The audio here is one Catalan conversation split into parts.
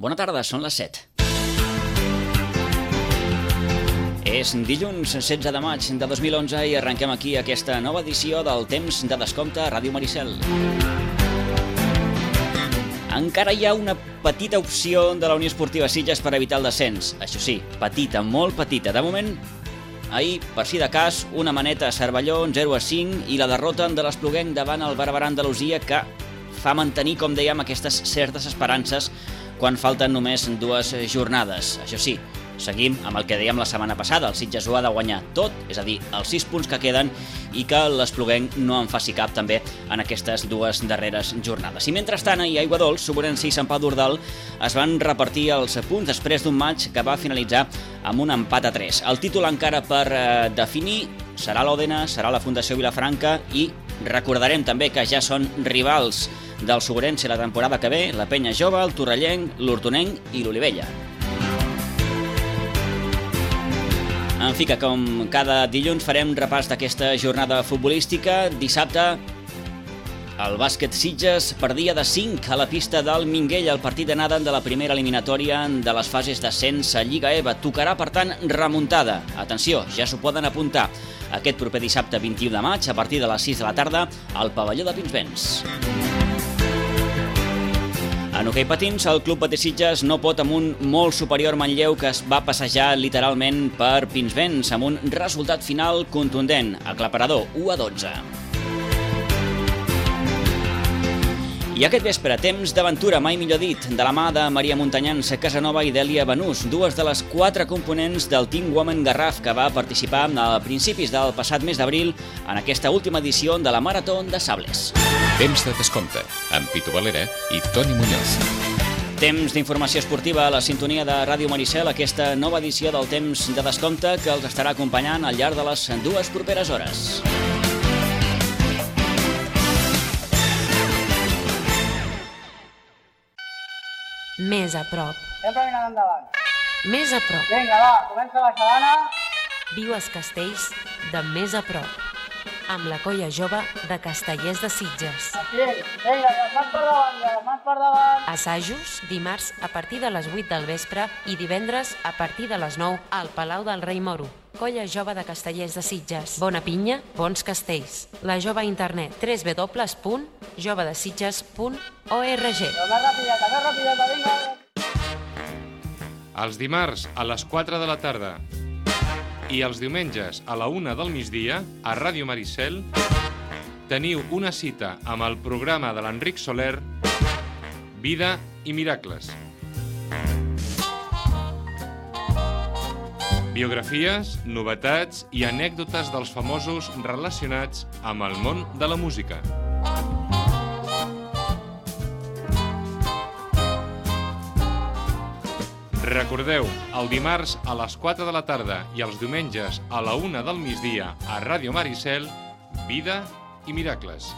Bona tarda, són les 7. És dilluns 16 de maig de 2011 i arrenquem aquí aquesta nova edició del Temps de Descompte a Ràdio Maricel. Encara hi ha una petita opció de la Unió Esportiva Sitges per evitar el descens. Això sí, petita, molt petita. De moment, ahir, per si de cas, una maneta a Cervelló, 0-5, i la derrota de l'Espluguenc davant el Barberà Andalusia, que fa mantenir, com dèiem, aquestes certes esperances quan falten només 2 jornades. Això sí, seguim amb el que dèiem la setmana passada. El Sitges ho ha de guanyar tot, és a dir, els 6 punts que queden, i que l'Espluguenc no en faci cap també en aquestes 2 darreres jornades. I mentrestant, ahir a Aiguadols, Sobirans i Sant Pau d'Ordal es van repartir els punts després d'un maig que va finalitzar amb un empat a 3. El títol encara per definir serà l'Òdena, serà la Fundació Vilafranca, i recordarem també que ja són rivals del Sobirans la temporada que ve, la Penya Jove, el Torrellenc, l'Hortonenc i l'Olivella. En fi, que com cada dilluns farem repàs d'aquesta jornada futbolística. Dissabte, el bàsquet Sitges perdia de 5 a la pista del Minguell, el partit d'anada de la primera eliminatòria de les fases d'ascens a Lliga EVA. Tocarà, per tant, remuntada. Atenció, ja s'ho poden apuntar. Aquest proper dissabte 21 de maig, a partir de les 6 de la tarda, al pavelló de Pinsbens. En hoquei patins, el Club Patí Sitges no pot amb un molt superior Manlleu que es va passejar literalment per Pinsbens amb un resultat final contundent, aclaparador, 1-12. I aquest vespre, temps d'aventura, mai millor dit, de la mà de Maria Montanyans Casanova i Dèlia Banús, 2 de les 4 components del Team Women Garraf que va participar a principis del passat mes d'abril en aquesta última edició de la Marató de Sables. Temps de Descompte, amb Pitu Valera i Toni Muñoz. Temps d'informació esportiva a la sintonia de Ràdio Maricel, aquesta nova edició del Temps de Descompte que els estarà acompanyant al llarg de les 2 properes hores. Més a prop. Sempre mirant endavant. Més a prop. Vinga, va, comença la xalana. Viu els castells de més a prop. Amb la colla jove de Castellers de Sitges. Aquí, vinga, les mans per davant, les mans per davant. Assajos dimarts a partir de les 8 del vespre i divendres a partir de les 9 al Palau del Rei Moro. Colla jove de Castellers de Sitges. Bona pinya, bons castells. La jove a internet www.jovedesitges.org. Més rapideta, vinga. Els dimarts a les 4 de la tarda i els diumenges a la 1 del migdia a Ràdio Maricel teniu una cita amb el programa de l'Enric Soler, Vida i Miracles. Biografies, novetats i anècdotes dels famosos relacionats amb el món de la música. Recordeu, el dimarts a les 4 de la tarda i els diumenges a la 1 del migdia a Ràdio Maricel, Vida i Miracles.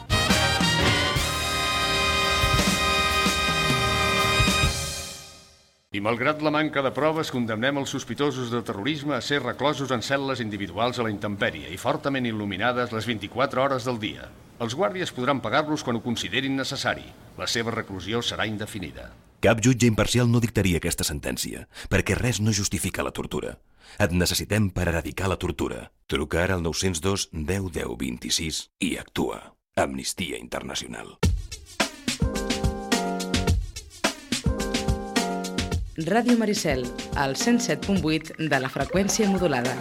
I malgrat la manca de proves, condemnem els sospitosos de terrorisme a ser reclosos en cel·les individuals a la intempèrie i fortament il·luminades les 24 hores del dia. Els guàrdies podran pagar-los quan ho considerin necessari. La seva reclusió serà indefinida. Cap jutge imparcial no dictaria aquesta sentència, perquè res no justifica la tortura. Et necessitem per erradicar la tortura. Truca ara al 902 10 10 26 i actua. Amnistia Internacional. Ràdio Maricel, al 107.8 de la freqüència modulada.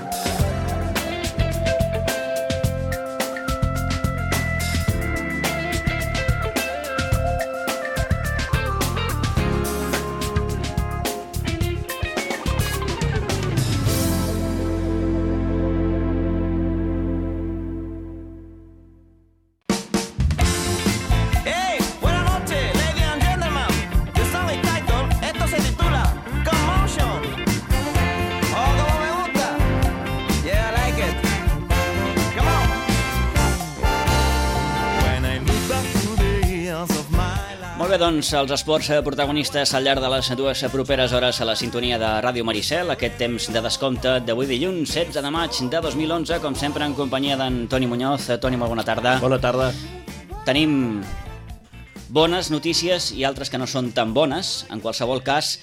Molt bé, doncs, els esports protagonistes al llarg de les 2 properes hores a la sintonia de Ràdio Maricel, aquest temps de descompte d'avui dilluns 16 de maig de 2011, com sempre en companyia d'en Toni Muñoz. Toni, molt bona tarda. Bona tarda. Tenim bones notícies i altres que no són tan bones. En qualsevol cas,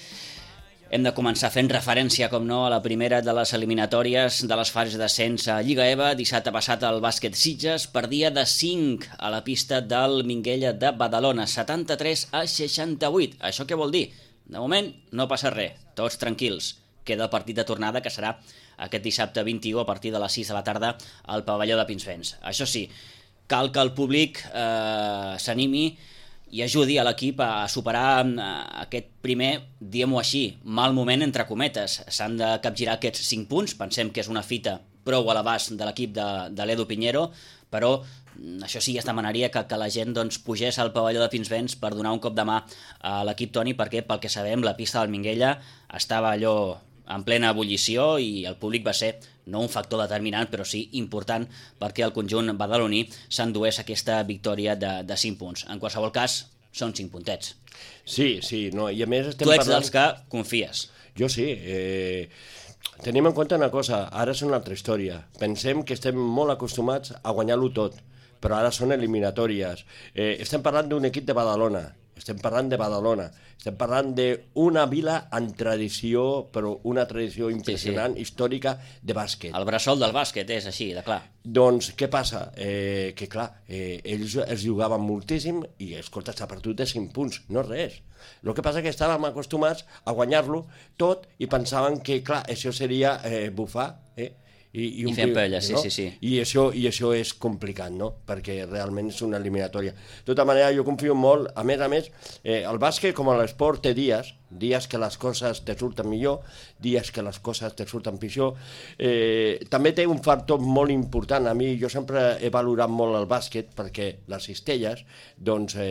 hem de començar fent referència, com no, a la primera de les eliminatòries de les fases d'ascens a Lliga EVA. Dissabte passat el bàsquet Sitges perdia de 5 a la pista del Minguella de Badalona, 73-68. Això què vol dir? De moment no passa res, tots tranquils. Queda el partit de tornada, que serà aquest dissabte 21 a partir de les 6 de la tarda al pavelló de Pinsbens. Això sí, cal que el públic s'animi i ajudi a l'equip a superar aquest primer, diguem-ho així, mal moment entre cometes. S'han de capgirar aquests 5 punts, pensem que és una fita prou a l'abast de l'equip de l'Edu Pinheiro, però això sí, es demanaria que la gent pugés al pavelló de Pinsbens per donar un cop de mà a l'equip Toni, perquè pel que sabem la pista del Minguella estava allò en plena ebullició i el públic va ser no un factor determinant, però sí important perquè el conjunt badaloní s'endués aquesta victòria de 5 punts. En qualsevol cas, són 5 puntets. Sí, no, i a més estem tu ets parlant... dels que confies. Jo sí. Tenim en compte una cosa, ara és una altra història. Pensem que estem molt acostumats a guanyar-lo tot, però ara són eliminatòries. Estem parlant d'un equip de Badalona, estem parlant d'una vila en tradició, però una tradició impressionant, històrica, de bàsquet. El bressol del bàsquet és així, de clar. Doncs què passa? Que clar, ells es jugaven moltíssim i, escolta, s'ha perdut de 5 punts, no res. El que passa és que estàvem acostumats a guanyar-lo tot i pensaven que, clar, això seria bufar, I fent pelles, no? sí. I això és complicat, no? Perquè realment és una eliminatòria. De tota manera, jo confio molt, a més, el bàsquet com a l'esport té dies que les coses te surten millor, dies que les coses te surten pitjor. També té un factor molt important. A mi, jo sempre he valorat molt el bàsquet perquè les cistelles, doncs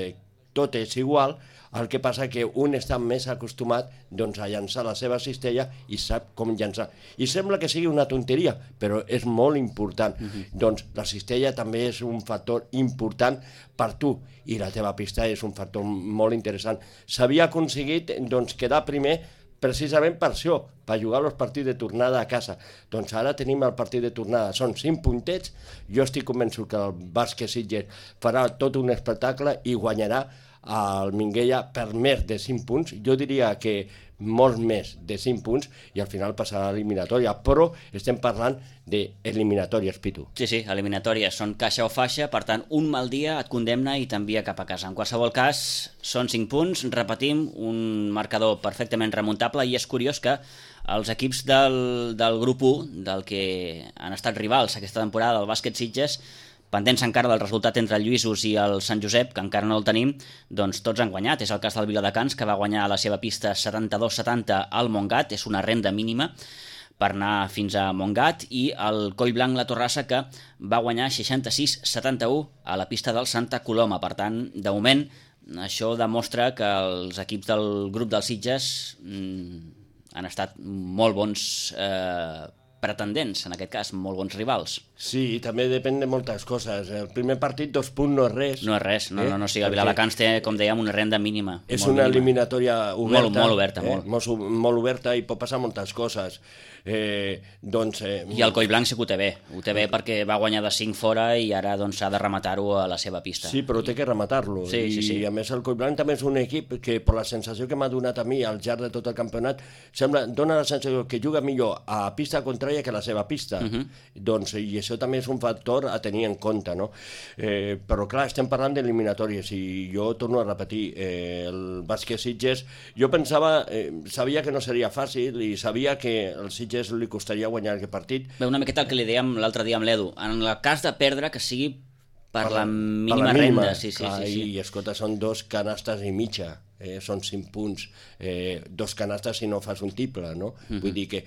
tot és igual. El que passa que un està més acostumat a llançar la seva cistella i sap com llançar. I sembla que sigui una tonteria, però és molt important. Doncs la cistella també és un factor important per tu i la teva pista és un factor molt interessant. S'havia aconseguit quedar primer precisament per això, per jugar els partits de tornada a casa. Doncs ara tenim el partit de tornada, són 5 puntets, jo estic convençut que el bàsquet Sitges farà tot un espectacle i guanyarà al Minguella per més de 5 punts, jo diria que molt més de 5 punts i al final passarà a l'eliminatòria, però estem parlant d'eliminatòries, Pitu. Sí, eliminatòries, són caixa o faixa, per tant, un mal dia et condemna i t'envia cap a casa. En qualsevol cas, són 5 punts, repetim, un marcador perfectament remuntable i és curiós que els equips del grup 1, del que han estat rivals aquesta temporada del bàsquet Sitges, pendents encara del resultat entre el Lluïsos i el Sant Josep, que encara no el tenim, doncs tots han guanyat. És el cas del Viladecans, que va guanyar a la seva pista 72-70 al Montgat, és una renda mínima per anar fins a Montgat, i el Collblanc La Torrassa, que va guanyar 66-71 a la pista del Santa Coloma. Per tant, de moment, això demostra que els equips del grup dels Sitges han estat molt bons pretendents, en aquest cas, molt bons rivals. Sí, també depèn de moltes coses. El primer partit, 2 punts, no és res. No és res, no. O sigui, el Viladecans té, com dèiem, una renda mínima. És una eliminatòria oberta. Molt oberta, molt oberta i pot passar moltes coses. I el Collblanc sí que ho té bé perquè va guanyar de 5 fora i ara ha de rematar-ho a la seva pista. Sí, però té que rematar-lo. Sí. I a més el Collblanc també és un equip que, per la sensació que m'ha donat a mi al llarg de tot el campionat, dona la sensació que juga millor a pista contrària que a la seva pista. I això també és un factor a tenir en compte, no? Però clar, estem parlant d'eliminatòries i jo torno a repetir, el bàsquet Sitges, jo pensava, sabia que no seria fàcil i sabia que el Sitges li costaria guanyar aquest partit. Bé, una miqueta el que li dèiem l'altre dia amb l'Edu, en el cas de perdre, que sigui per la mínima renda. Sí. I escolta, són 2 canastes i mitja. Són 5 punts, 2 canastes si no fas un triple, no? Vull dir que,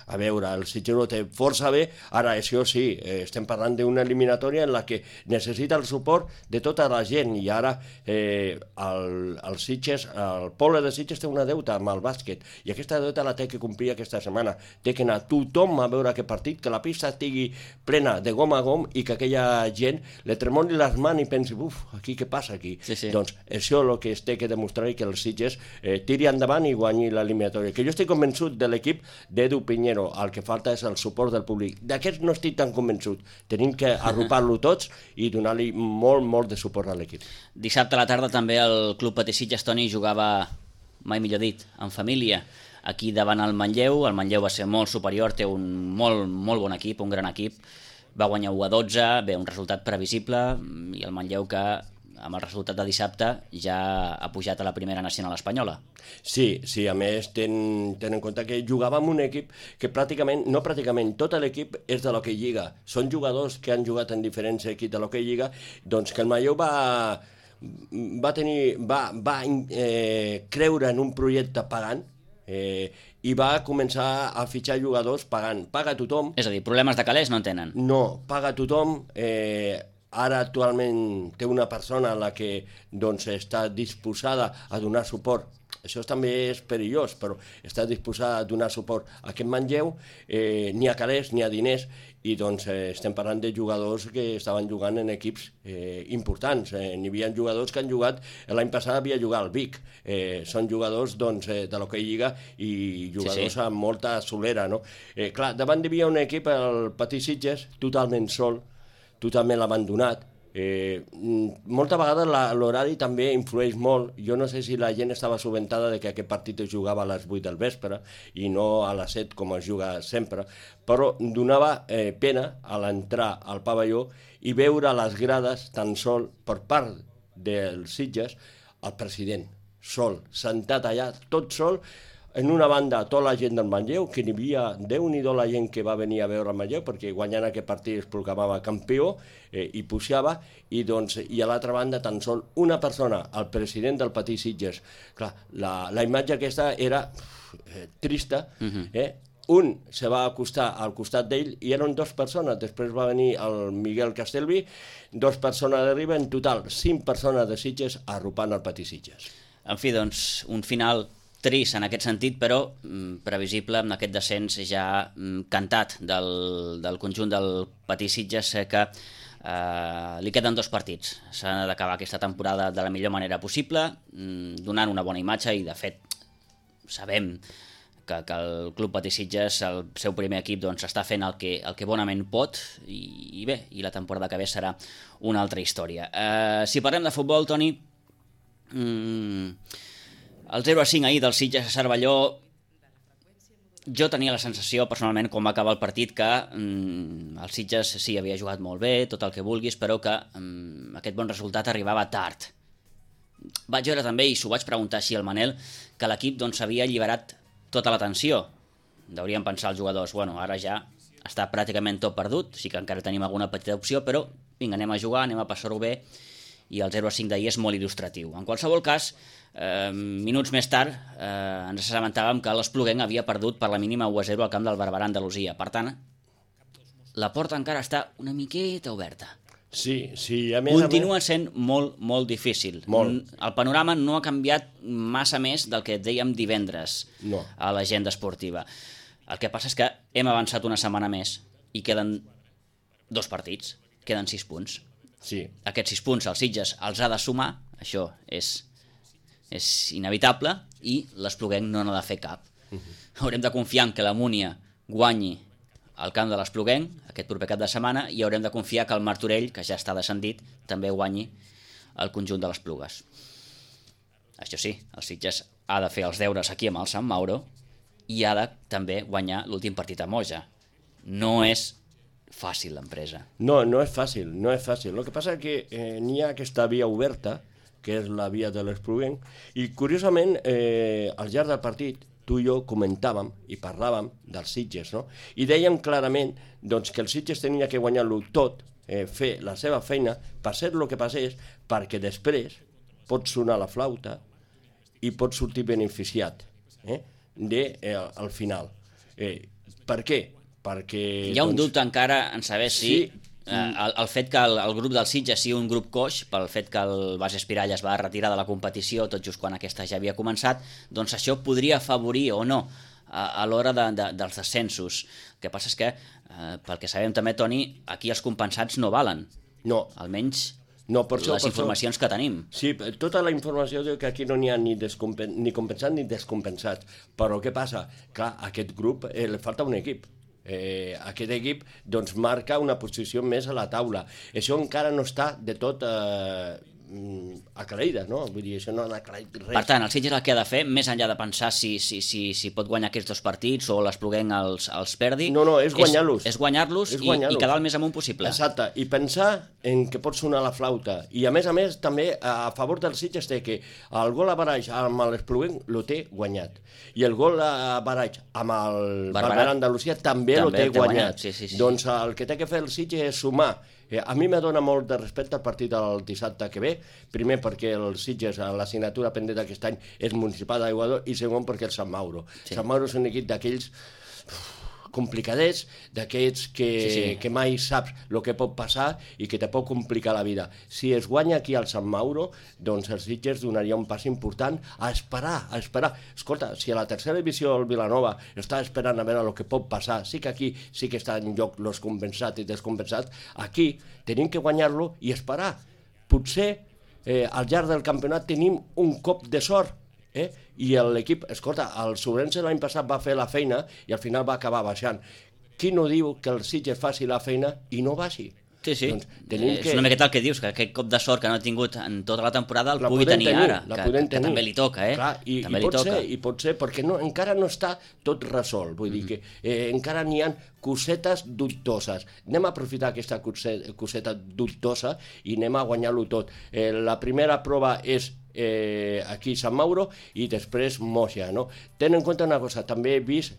a veure, el Sitges ho té força bé, ara això sí, estem parlant d'una eliminatòria en la que necessita el suport de tota la gent i ara el Sitges, el poble de Sitges té una deuta amb el bàsquet i aquesta deuta la té que complir aquesta setmana, té que anar tothom a veure aquest partit, que la pista estigui plena de gom a gom i que aquella gent le tremoli les mans i pensi, aquí què passa aquí? Sí. Doncs això és el que té que demostrar que el Sitges tiri endavant i guanyi l'eliminatòria. Que jo estic convençut de l'equip d'Edu Piñero, el que falta és el suport del públic. D'aquests no estic tan convençut. Tenim que arropar-lo tots i donar-li molt de suport a l'equip. Dissabte a la tarda també el Club Patí Sitges, Toni, jugava, mai millor dit, en família, aquí davant el Manlleu. El Manlleu va ser molt superior, té un molt bon equip, un gran equip. Va guanyar 1-12, bé, un resultat previsible, i el Manlleu que amb el resultat de dissabte ja ha pujat a la primera nacional espanyola. Sí, a més, ten en compte que jugava amb un equip que tot l'equip és de l'Hockey Lliga. Són jugadors que han jugat en diferents equips de l'Hockey Lliga, doncs que el Manlleu va creure en un projecte pagant i va començar a fitxar jugadors pagant. Paga tothom. És a dir, problemes de calés no en tenen. No, paga tothom. Ara actualment té una persona a la que doncs, està disposada a donar suport. Això també és perillós, però està disposada a donar suport a aquest Manlleu. Ni a calés ni a diners, i doncs estem parlant de jugadors que estaven jugant en equips importants. N'hi havia jugadors que han jugat, l'any passat havia jugat al Vic. Són jugadors doncs, de l'Hockey Lliga i jugadors amb molta solera. No? Clar, davant hi havia un equip, el Patí Sitges, totalment sol, totalment abandonat. Molta vegada l'horari també influeix molt. Jo no sé si la gent estava assabentada de que aquest partit es jugava a les 8 del vespre i no a les 7 com es juga sempre, però donava pena a l'entrar al pavelló i veure les grades tan sol per part dels Sitges el president, sol, sentat allà, tot sol. En una banda, tota la gent del Manlleu, que n'hi havia, Déu-n'hi-do la gent que va venir a veure el Manlleu, perquè guanyant aquest partit es proclamava campió i pujava, i a l'altra banda tan sol una persona, el president del Patí Sitges. Clar, la imatge aquesta era trista, un se va acostar al costat d'ell i eren 2 persones, després va venir el Miguel Castelví, 2 persones d'arriba, en total 5 persones de Sitges arropant el Patí Sitges. En fi, doncs, un final trist en aquest sentit, però previsible amb aquest descens ja cantat del conjunt del Patí Sitges, que li queden 2 partits. S'ha d'acabar aquesta temporada de la millor manera possible, donant una bona imatge, i de fet sabem que el Club Patí Sitges, el seu primer equip, està fent el que bonament pot, i bé, i la temporada que ve serà una altra història. Si parlem de futbol, Toni, el 0-5 ahir del Sitges a Cervelló, jo tenia la sensació, personalment, quan va acabar el partit, que el Sitges sí, havia jugat molt bé, tot el que vulguis, però que aquest bon resultat arribava tard. Vaig veure també, i s'ho vaig preguntar així al Manel, que l'equip s'havia alliberat tota la tensió. Deurien pensar els jugadors, bueno, ara ja està pràcticament tot perdut, sí que encara tenim alguna petita opció, però vinga, anem a jugar, anem a passar-ho bé, i el 0-5 d'ahir és molt il·lustratiu. En qualsevol cas, minuts més tard ens assabentàvem que l'Espluguenc havia perdut per la mínima 1-0 al camp del Barberà, Andalusia. Per tant, la porta encara està una miqueta oberta. Sí, continua sent molt difícil. El panorama no ha canviat massa més del que dèiem divendres a l'agenda esportiva. El que passa és que hem avançat una setmana més i queden 2 partits, queden 6 punts. Sí. Aquests 6 punts el Sitges els ha de sumar, això és inevitable, i l'Espluguenc no n'ha de fer cap. Haurem de confiar en que la Múnia guanyi al camp de l'Espluguenc aquest proper cap de setmana, i haurem de confiar que el Martorell, que ja està descendit, també guanyi el conjunt de les Plugues. Això sí, el Sitges ha de fer els deures aquí amb el Sant Mauro i ha de també guanyar l'últim partit a Moja. No és fàcil l'empresa. No és fàcil. El que passa és que n'hi ha aquesta via oberta, que és la via de l'Espluguenc, i curiosament, al llarg del partit, tu i jo comentàvem i parlàvem dels Sitges, no? I dèiem clarament que el Sitges tenia que guanyar-lo tot, fer la seva feina, passés el que passés, perquè després pot sonar la flauta i pot sortir beneficiat al final. Per què? Perquè hi ha un dubte encara en saber si el fet que el grup del Sitges sigui un grup coix, pel fet que el Bas Espirall es va retirar de la competició tot just quan aquesta ja havia començat, doncs això podria afavorir o no a l'hora dels descensos. El que passa és que, pel que sabem també, Toni, aquí els compensats no valen. No. Almenys les informacions que tenim. Sí, tota la informació diu que aquí no n'hi ha ni compensats ni descompensats. Però què passa? Clar, a aquest grup li falta un equip. Aquest equip doncs marca una posició més a la taula. Això encara no està de tot aclarida, no? Vull dir, això no ha aclarit res. Per tant, el Sitges el que ha de fer, més enllà de pensar si pot guanyar aquests 2 partits o l'Espluguenc els perdi... No, és guanyar-los. És guanyar-los i quedar el més amunt possible. Exacte, i pensar en que pot sonar la flauta. I a més, també, a favor del Sitges té que el gol a Baraix amb l'Espluguenc lo té guanyat. I el gol a Baraix amb el Barberà Andalusia també lo té guanyat. Sí. Doncs el que té que fer el Sitges és sumar. A mi me dona molt de respecte el partit del dissabte que ve, primer perquè el Sitges, l'assignatura pendent d'aquest any és Municipal d'Aiguador, i segon perquè el Sant Mauro. Sant Mauro és un equip d'aquells complicadets, d'aquests que mai saps el que pot passar i que te pot complicar la vida. Si es guanya aquí al Sant Mauro, doncs el Sitges donaria un pas important a esperar. Escolta, si a la tercera divisió el Vilanova està esperant a veure el que pot passar, sí que aquí sí que està en joc els compensats i descompensats, aquí tenim que guanyar-lo i esperar. Potser al llarg del campionat tenim un cop de sort, i l'equip, escolta, el Sobrense l'any passat va fer la feina i al final va acabar baixant. Qui no diu que el Sitges faci la feina i no baixi? Sí. Doncs és una miqueta el que dius, que aquest cop de sort que no ha tingut en tota la temporada el pugui tenir ara, que també li toca, Clar, i pot ser, perquè encara no està tot resolt, vull dir que encara n'hi ha cosetes dubtoses. Anem a aprofitar aquesta coseta dubtosa i anem a guanyar-lo tot. La primera prova és aquí Sant Mauro i després Moixà, no? Ten en compte una cosa, també he vist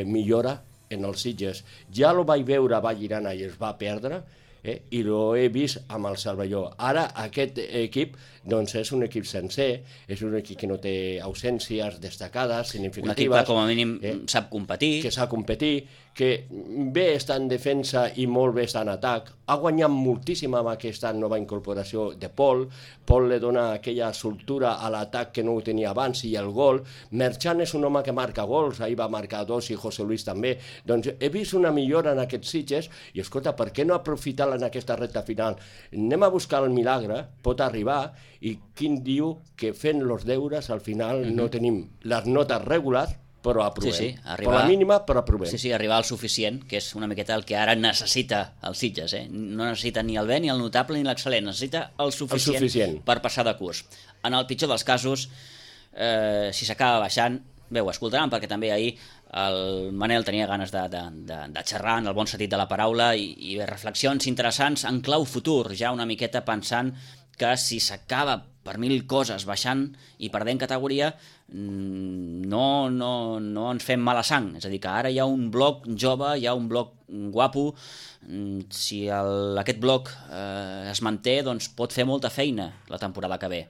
millora en els Sitges. Ja lo vaig veure a Vallirana i es va perdre, i lo he vist amb el Cervelló. Ara aquest equip doncs és un equip sencer, és un equip que no té ausències destacades, significatives. Un equip que com a mínim sap competir. Que sap competir, que bé està en defensa i molt bé està en atac. Ha guanyat moltíssim amb aquesta nova incorporació de Pol. Pol li dona aquella soltura a l'atac que no ho tenia abans i el gol. Merchan és un home que marca gols, ahir va marcar 2 i José Luis també. Doncs he vist una millora en aquests Sitges i escolta, per què no aprofitar-la en aquesta recta final? Anem a buscar el milagre, pot arribar, i quin diu que fent els deures al final no tenim les notes regulars, però aprovem. Per la mínima, però aprovem. Sí, arribar al suficient, que és una miqueta el que ara necessita el Sitges. No necessita ni el bé, ni el notable, ni l'excel·lent. Necessita el suficient per passar de curs. En el pitjor dels casos, si s'acaba baixant, bé, ho escoltaran, perquè també ahir el Manel tenia ganes de xerrar en el bon sentit de la paraula i reflexions interessants en clau futur, ja una miqueta pensant que si s'acaba per 1000 coses baixant i perdent categoria no ens fem mala sang, és a dir, que ara hi ha un bloc jove, hi ha un bloc guapo, si aquest bloc es manté, doncs pot fer molta feina la temporada que ve.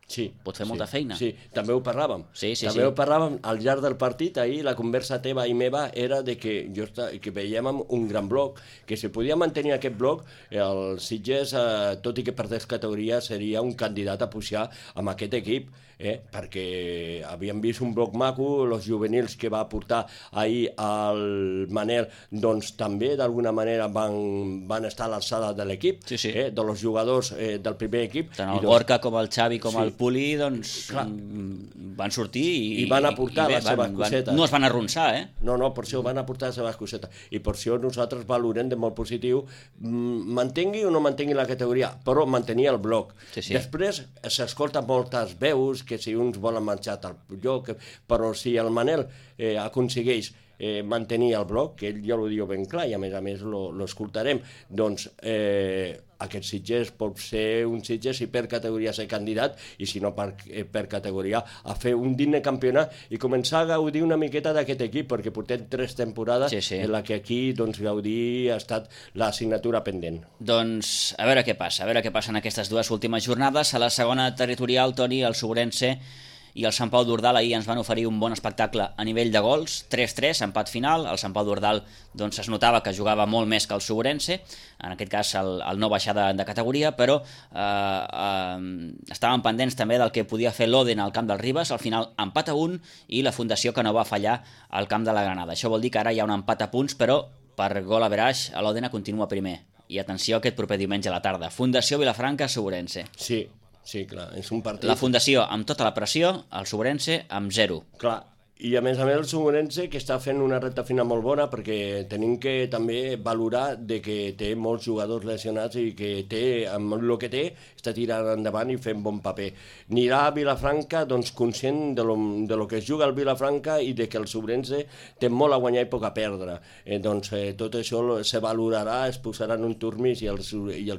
Sí, pot fer molta feina. Sí, també ho parlàvem. Ho parlàvem al llarg del partit. Ahir la conversa teva i meva era de que veiem un gran bloc, que si podia mantenir aquest bloc, el Sitges, tot i que perdés categoria, seria un candidat a pujar amb aquest equip, perquè havíem vist un bloc maco, els juvenils que va portar ahir el Manel, doncs també d'alguna manera van estar a l'alçada de l'equip, dels jugadors del primer equip. Tant el Gorka com el Xavi com el Puli doncs van sortir i van aportar les seves cosetes. No es van arronsar, No, per això van aportar les seves cosetes. I per això nosaltres valorem de molt positiu mantengui o no mantengui la categoria, però mantenir el bloc. Després s'escolten moltes veus que si uns volen marxar al lloc, però si el Manel aconsegueix mantenir el bloc, que ell ja ho diu ben clar i a més l'escoltarem, doncs aquest Sitges pot ser un Sitges si per categoria ser candidat i si no per categoria a fer un digne campionat i començar a gaudir una miqueta d'aquest equip, perquè portem 3 temporades en la que aquí gaudir ha estat l'assignatura pendent. Doncs a veure què passa en aquestes 2 últimes jornades. A la segona territorial, Toni, el Sobrense i el Sant Pau d'Ordal ahir ens van oferir un bon espectacle a nivell de gols, 3-3, empat final. El Sant Pau d'Ordal doncs, es notava que jugava molt més que el Sobrense, en aquest cas el no baixar de categoria, però estaven pendents també del que podia fer l'Oden al camp del Ribes. Al final empat a 1 i la Fundació que no va fallar al camp de la Granada. Això vol dir que ara hi ha un empat a punts, però per gol a veraix l'Òdena continua primer I atenció aquest proper diumenge a la tarda. Fundació Vilafranca, Sobrense. Sí, clar, és un partit... La Fundació amb tota la pressió, el Sobrense amb 0. Clar, i a més el Sobrense que està fent una recta final molt bona perquè tenim que també valorar de que té molts jugadors lesionats i que té, amb el que té, està tirant endavant i fent bon paper. Anirà a Vilafranca doncs, conscient de lo que es juga al Vilafranca i de que el Sobrense té molt a guanyar i poc a perdre. Tot això se valorarà, es posarà en un turmís i el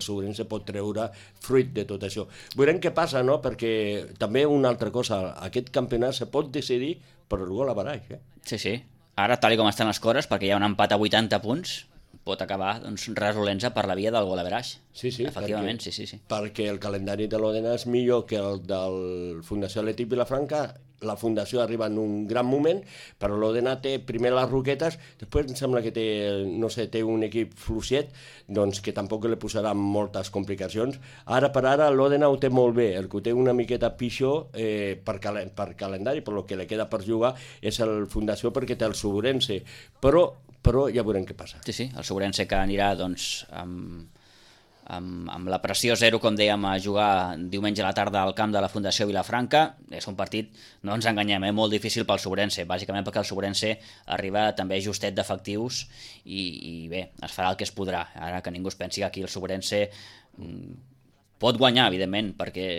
Sobrense pot treure fruit de tot això. Veurem què passa, no? Perquè també una altra cosa, aquest campionat se pot decidir per el gol a baraix, Sí. Ara, tal com estan les coses, perquè hi ha un empat a 80 punts, pot acabar resolent-se per la via del gol a baraix. Sí, efectivament, sí. Perquè el calendari de l'Òdena és millor que el del Fundació Atlètic Vilafranca. La Fundació arriba en un gran moment, però l'Òdena té primer les Roquetes, després em sembla que té un equip fluixet, doncs que tampoc li posarà moltes complicacions. Ara per ara l'Òdena ho té molt bé, el que ho té una miqueta pitjor per calendari, per lo que li queda per jugar, és el Fundació perquè té el Sobrense, però ja veurem què passa. Sí, el Sobrense que anirà doncs amb la pressió 0, com dèiem, a jugar diumenge a la tarda al camp de la Fundació Vilafranca. És un partit, no ens enganyem, molt difícil pel Sobrense, bàsicament perquè el Sobrense arriba també justet d'efectius i bé, es farà el que es podrà. Ara que ningú es pensi que aquí el Sobrense pot guanyar, evidentment, perquè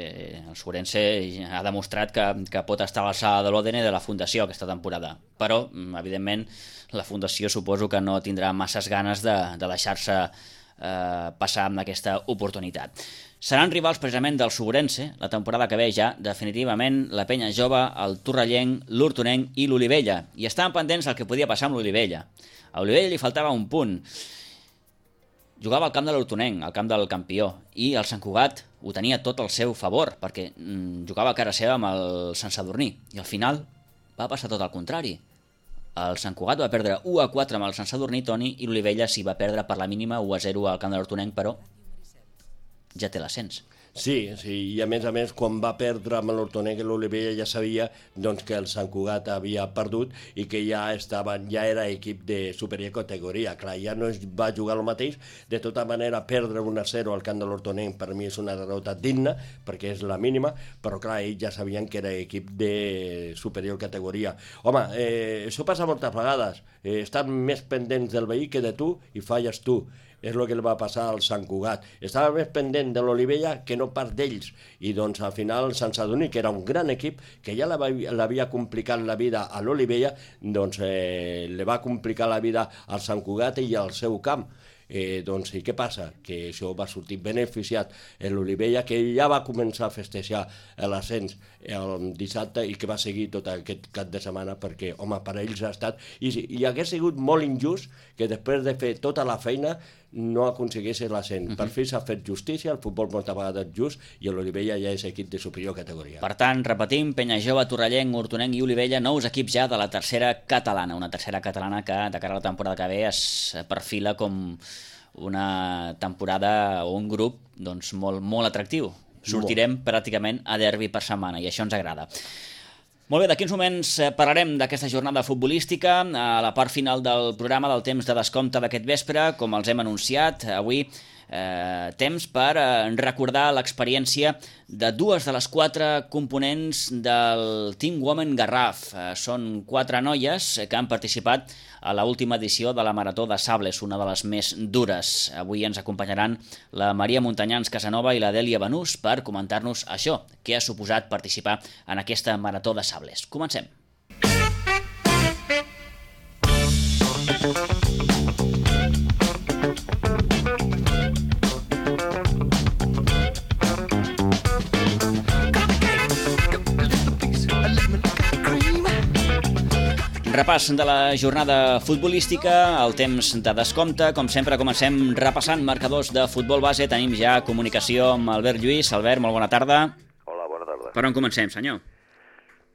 el Sobrense ha demostrat que pot estar a l'alçada de l'Òdena i de la Fundació aquesta temporada. Però, evidentment, la Fundació suposo que no tindrà masses ganes de deixar-se passar amb aquesta oportunitat. Seran rivals precisament del Sobrense la temporada que ve ja, definitivament, la Penya Jove, el Torrellenc, l'Hortonenc i l'Olivella. I estaven pendents del que podia passar amb l'Olivella. A l'Olivella li faltava un punt. Jugava al camp de l'Hortonenc, al camp del campió, i el Sant Cugat ho tenia tot al seu favor, perquè jugava a cara seva amb el Sant Sadurní, i al final va passar tot al contrari. El Sant Cugat va perdre 1-4 amb el Sant Sadurní, Toni, i l'Olivella s'hi va perdre per la mínima 1-0 al camp de l'Hortonenc, però ja té l'ascens. Sí, i a més, quan va perdre amb l'Hortonenc, l'Olivella ja sabia doncs, que el Sant Cugat havia perdut i que ja era equip de superior categoria. Clar, ja no va jugar el mateix. De tota manera, perdre 1-0 al camp de l'Hortonenc per mi és una derrota digna, perquè és la mínima, però clar, ells ja sabien que era equip de superior categoria. Home, això passa moltes vegades. Estan més pendents del veí que de tu i falles tu. És el que li va passar al Sant Cugat. Estava més pendent de l'Olivella que no pas d'ells. I doncs al final el Sant Sadurní, que era un gran equip, que ja l'havia complicat la vida a l'Olivella, doncs li va complicar la vida al Sant Cugat i al seu camp. Doncs i què passa? Que això va sortir beneficiat l'Olivella, que ja va començar a festejar l'ascens el dissabte i que va seguir tot aquest cap de setmana perquè, home, per ells ha estat... I hagués sigut molt injust que després de fer tota la feina no aconseguís l'ascens. Per fi s'ha fet justícia, el futbol moltes vegades just i l'Olivella ja és equip de superior categoria. Per tant, repetim, Penya Jove, Torrellenc, Hortonenc i Olivella, nous equips ja de la tercera catalana, una tercera catalana que de cara a la temporada que ve es perfila com una temporada o un grup doncs, molt atractiu. Sortirem pràcticament a derbi per setmana i això ens agrada. Molt bé, d'aquí uns moments parlarem d'aquesta jornada futbolística a la part final del programa del temps de descompte d'aquest vespre, com els hem anunciat. Avui temps per recordar l'experiència de dues de les 4 components del Team Women Garraf. Són 4 noies que han participat a l'última edició de la Marató de Sables, una de les més dures. Avui ens acompanyaran la Maria Montanyans Casanova i la Dèlia Banús per comentar-nos això, què ha suposat participar en aquesta Marató de Sables. Comencem. Repàs de la jornada futbolística, el temps de descompte. Com sempre, comencem repassant marcadors de futbol base. Tenim ja comunicació amb Albert Lluís. Albert, molt bona tarda. Hola, bona tarda. Per on comencem, senyor?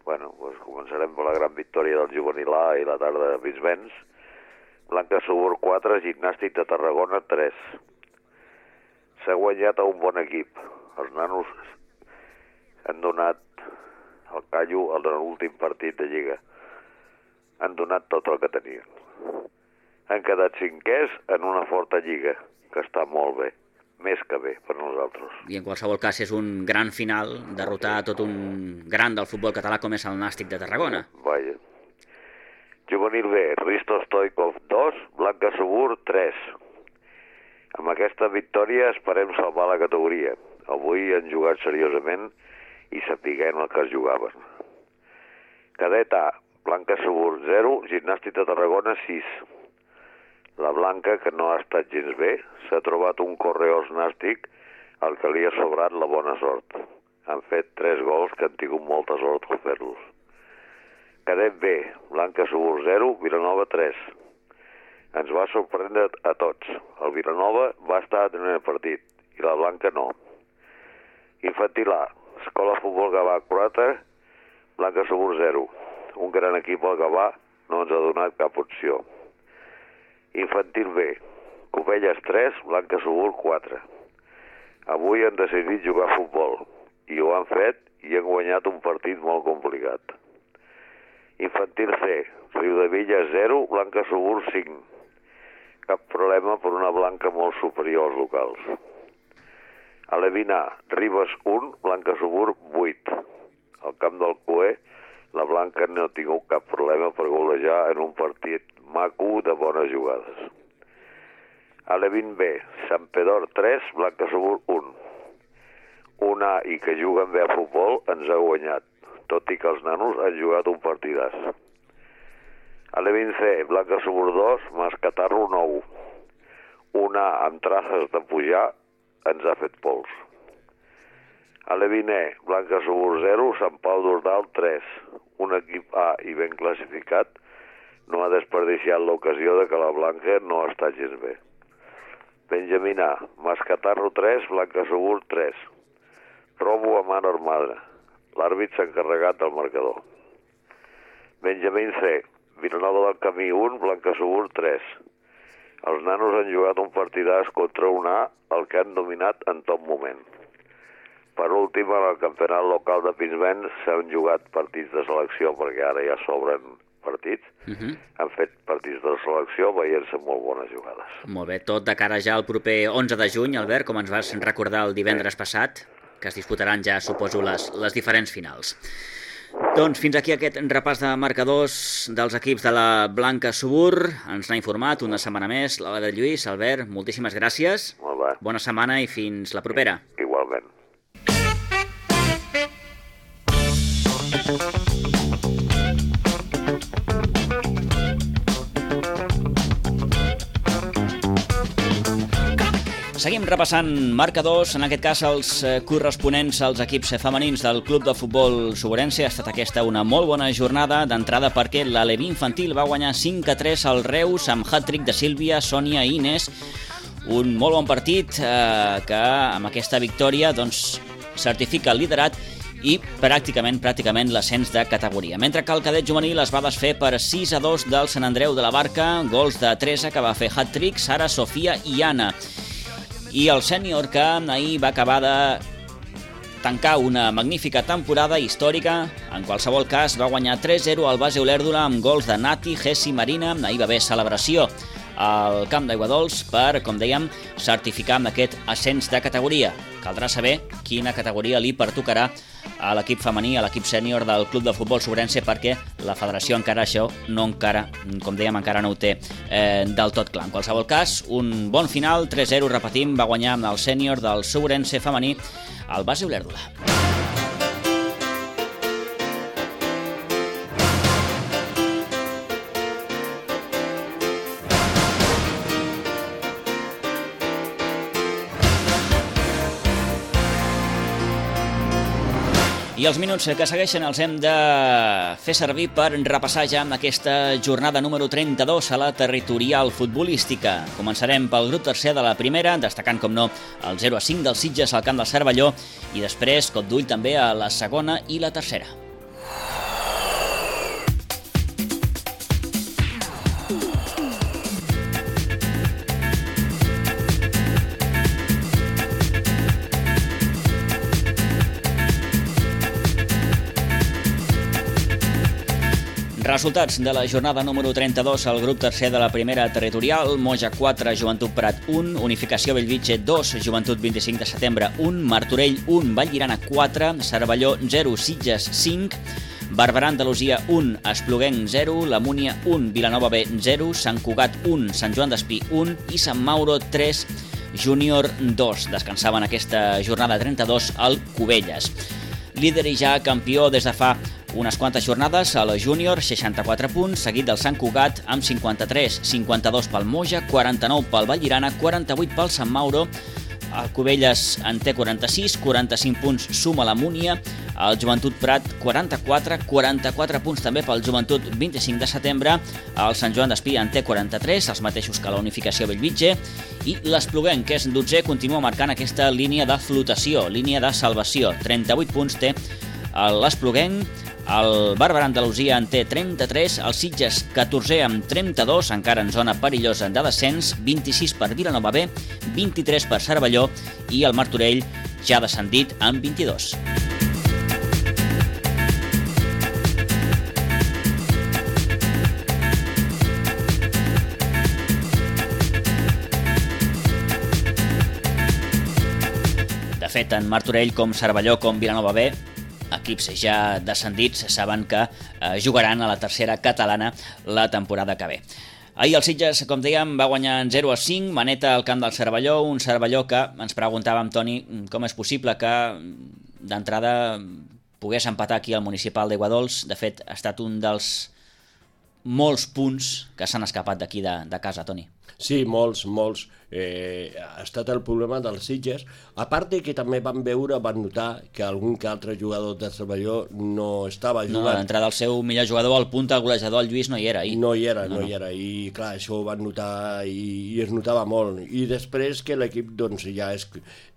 Bueno, doncs començarem per la gran victòria del Juvenil A i la tarda de Brisbens. Blanca Subur 4, Gimnàstic de Tarragona 3. S'ha guanyat a un bon equip. Els nanos han donat el callo en l'últim partit de Lliga. Han donat tot el que tenien. Han quedat 5è en una forta lliga que està molt bé, més que bé per nosaltres. I en qualsevol cas és un gran final, derrotar tot un gran del futbol català com és el Nàstic de Tarragona. Vaja. Juvenil B, Risto Stoikov 2, Blanca Subur 3. Amb aquesta victòria esperem salvar la categoria. Avui han jugat seriosament i sapiguem el que es jugaven. Cadet A, Blanca Subur 0, Gimnàstic de Tarragona 6. La Blanca, que no ha estat gens bé, s'ha trobat un correós nàstic al que li ha sobrat la bona sort. Han fet 3 gols que han tingut molta sort al fer-los. Cadet B, Blanca Subur 0, Vilanova 3. Ens va sorprendre a tots. El Vilanova va estar en el partit i la Blanca no. Infantil A, Escola Futbol Gavà 4, Blanca Subur 0. Un gran equip al Gavà no ens ha donat cap opció. Infantil B, Covelles 3, Blanca Subur 4. Avui han decidit jugar a futbol i ho han fet i han guanyat un partit molt complicat. Infantil C, Riudevilles 0, Blanca Subur 5. Cap problema per una Blanca molt superior als locals. Alevín A, Ribes 1, Blanca Subur 8. Al camp del Cué, la Blanca no ha tingut cap problema per golejar en un partit maco de bones jugades. Alevín B, Sant Pedor 3, Blanca Subur 1. Un A i que juguen bé a futbol ens ha guanyat, tot i que els nanos han jugat un partidàs. Alevín C, Blanca Subur 2, Mascatarro 9. Un A amb traces de pujar ens ha fet pols. Alevín E, Blanca Subur 0, Sant Pau d'Ordal 3. Un equip A i ben classificat no ha desperdiciat l'ocasió de que la Blanca no està gens bé. Benjamín A, Mascatarro 3, Blanca Subur 3. Robo a mano armada. L'àrbit s'ha encarregat del marcador. Benjamín C, Vilanova del Camí 1, Blanca Subur 3. Els nanos han jugat un partidàs contra un A, el que han dominat en tot moment. Per últim, en el campionat local de Pinsbens s'han jugat partits de selecció, perquè ara ja s'obren partits. Han fet partits de selecció veient-se molt bones jugades. Molt bé, tot de cara ja al proper 11 de juny, Albert, com ens vas recordar el divendres passat, que es disputaran ja, suposo, les diferents finals. Doncs fins aquí aquest repàs de marcadors dels equips de la Blanca Subur. Ens n'ha informat una setmana més l'Ala de Lluís. Albert, moltíssimes gràcies. Molt bé. Bona setmana i fins la propera. Igualment. Seguim repassant marcadors, en aquest cas els corresponents als equips femenins del Club de Futbol Suburense. Ha estat aquesta una molt bona jornada d'entrada perquè l'Aleví Infantil va guanyar 5-3 al Reus amb hat-trick de Sílvia, Sònia i Inés. Un molt bon partit que amb aquesta victòria doncs, certifica el liderat i pràcticament l'ascens de categoria. Mentre que el cadet juvenil es va desfer per 6-2 del Sant Andreu de la Barca, gols de Teresa, que va fer hat-trick, Sara, Sofia i Anna. I el sènior que ahir va acabar de tancar una magnífica temporada històrica, en qualsevol cas va guanyar 3-0 al base Olèrdola amb gols de Nati, Gessi, Marina. Ahir va haver celebració al camp d'Aiguadols per, com dèiem, certificar amb aquest ascens de categoria. Caldrà saber quina categoria li pertocarà a l'equip femení, a l'equip sènior del Club de Futbol Suburense, perquè la federació encara això com dèiem, encara no ho té del tot clar. En qualsevol cas, un bon final, 3-0, repetim, va guanyar amb el sènior del Suburense femení al base Olèrdola. I els minuts que segueixen els hem de fer servir per repassar ja amb aquesta jornada número 32 a la territorial futbolística. Començarem pel grup tercer de la primera, destacant, com no, el 0-5 dels Sitges al camp del Cervelló i després cop d'ull també a la segona i la tercera. Resultats de la jornada número 32 al grup tercer de la primera territorial. Moja 4, Joventut Prat 1, Unificació Bellvitge 2, Joventut 25 de setembre 1, Martorell 1, Vallirana 4, Cervelló 0, Sitges 5, Barberà Andalusia 1, Espluguenc 0, La Múnia 1, Vilanova B 0, Sant Cugat 1, Sant Joan d'Espí 1 i Sant Mauro 3, Júnior 2. Descansaven aquesta jornada 32 al Cubelles. Líder i ja campió des de fa unes quantes jornades a la Júnior, 64 punts, seguit del Sant Cugat amb 53, 52 pel Moja, 49 pel Vallirana, 48 pel Sant Mauro, el Cubelles en té 46, 45 punts suma la Múnia, el Joventut Prat 44, 44 punts també pel Joventut 25 de setembre, el Sant Joan d'Espí en té 43, els mateixos que la Unificació Bellvitge, i l'Espluguenc, que és 12è, continua marcant aquesta línia de flotació, línia de salvació. 38 punts té l'Espluguenc, el Barberà Andalusia en té 33, el Sitges 14è amb 32, encara en zona perillosa de descens, 26 per Vilanova B, 23 per Cervelló i el Martorell ja descendit amb 22. De fet, tant Martorell com Cervelló com Vilanova B, equips ja descendits, saben que jugaran a la tercera catalana la temporada que ve. Ahir el Sitges, com dèiem, va guanyar 0-5, maneta al camp del Cervelló, un Cervelló que ens preguntàvem, Toni, com és possible que d'entrada pogués empatar aquí al municipal d'Aiguadols. De fet, ha estat un dels molts punts que s'han escapat d'aquí de casa, Toni. Sí, molts. Ha estat el problema dels Sitges, a part que també van notar que algun que altre jugador de Cervelló no estava jugant. No, d'entrada el seu millor jugador, el punta, el golejador, el Lluís, no hi era ahir. No hi era, i clar, això ho van notar i es notava molt. I després que l'equip doncs, ja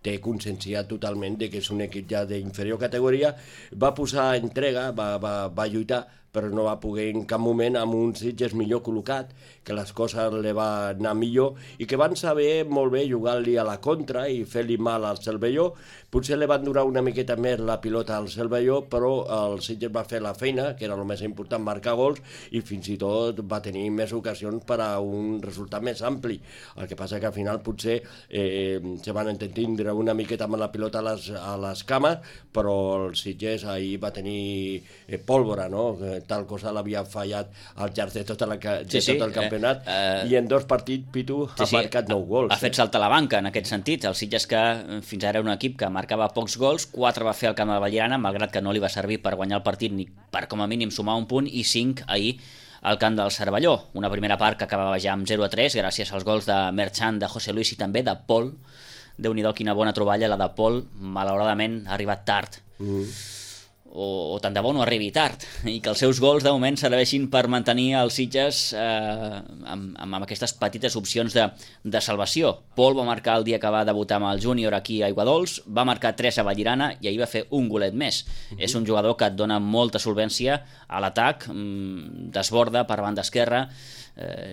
té conscienciat totalment de que és un equip ja d'inferior categoria, va posar entrega, va lluitar, però no va poder en cap moment amb un Sitges millor col·locat, que les coses li va anar millor i que van saber molt bé jugar-li a la contra i fer-li mal al Cervelló. Potser li van durar una miqueta més la pilota al Cervelló, però el Sitges va fer la feina, que era el més important, marcar gols, i fins i tot va tenir més ocasions per a un resultat més ampli. El que passa que al final potser se van entendre una miqueta amb la pilota a les cames, però el Sitges ahir va tenir pólvora, no? Tal cosa l'havia fallat al llarg de tot el campionat, i en 2 partits Pitu ha marcat 9 gols. Ha fet saltar la banca en aquest sentit. El Sitges, que fins ara era un equip que marcava pocs gols, 4 va fer al camp de Vallirana, malgrat que no li va servir per guanyar el partit ni per com a mínim sumar un punt, i 5 ahir al camp del Cervelló. Una primera part que acabava ja amb 0-3 gràcies als gols de Merchant, de José Luis i també de Pol. Déu-n'hi-do, quina bona troballa la de Pol. Malauradament ha arribat tard. O tant de bo no arribi tard, i que els seus gols de moment serveixin per mantenir els Sitges amb aquestes petites opcions de salvació. Pol va marcar el dia que va debutar amb el Júnior aquí a Aiguadols, va marcar 3 a Vallirana i ahir va fer un golet més. És un jugador que et dona molta solvència a l'atac, desborda per banda esquerra.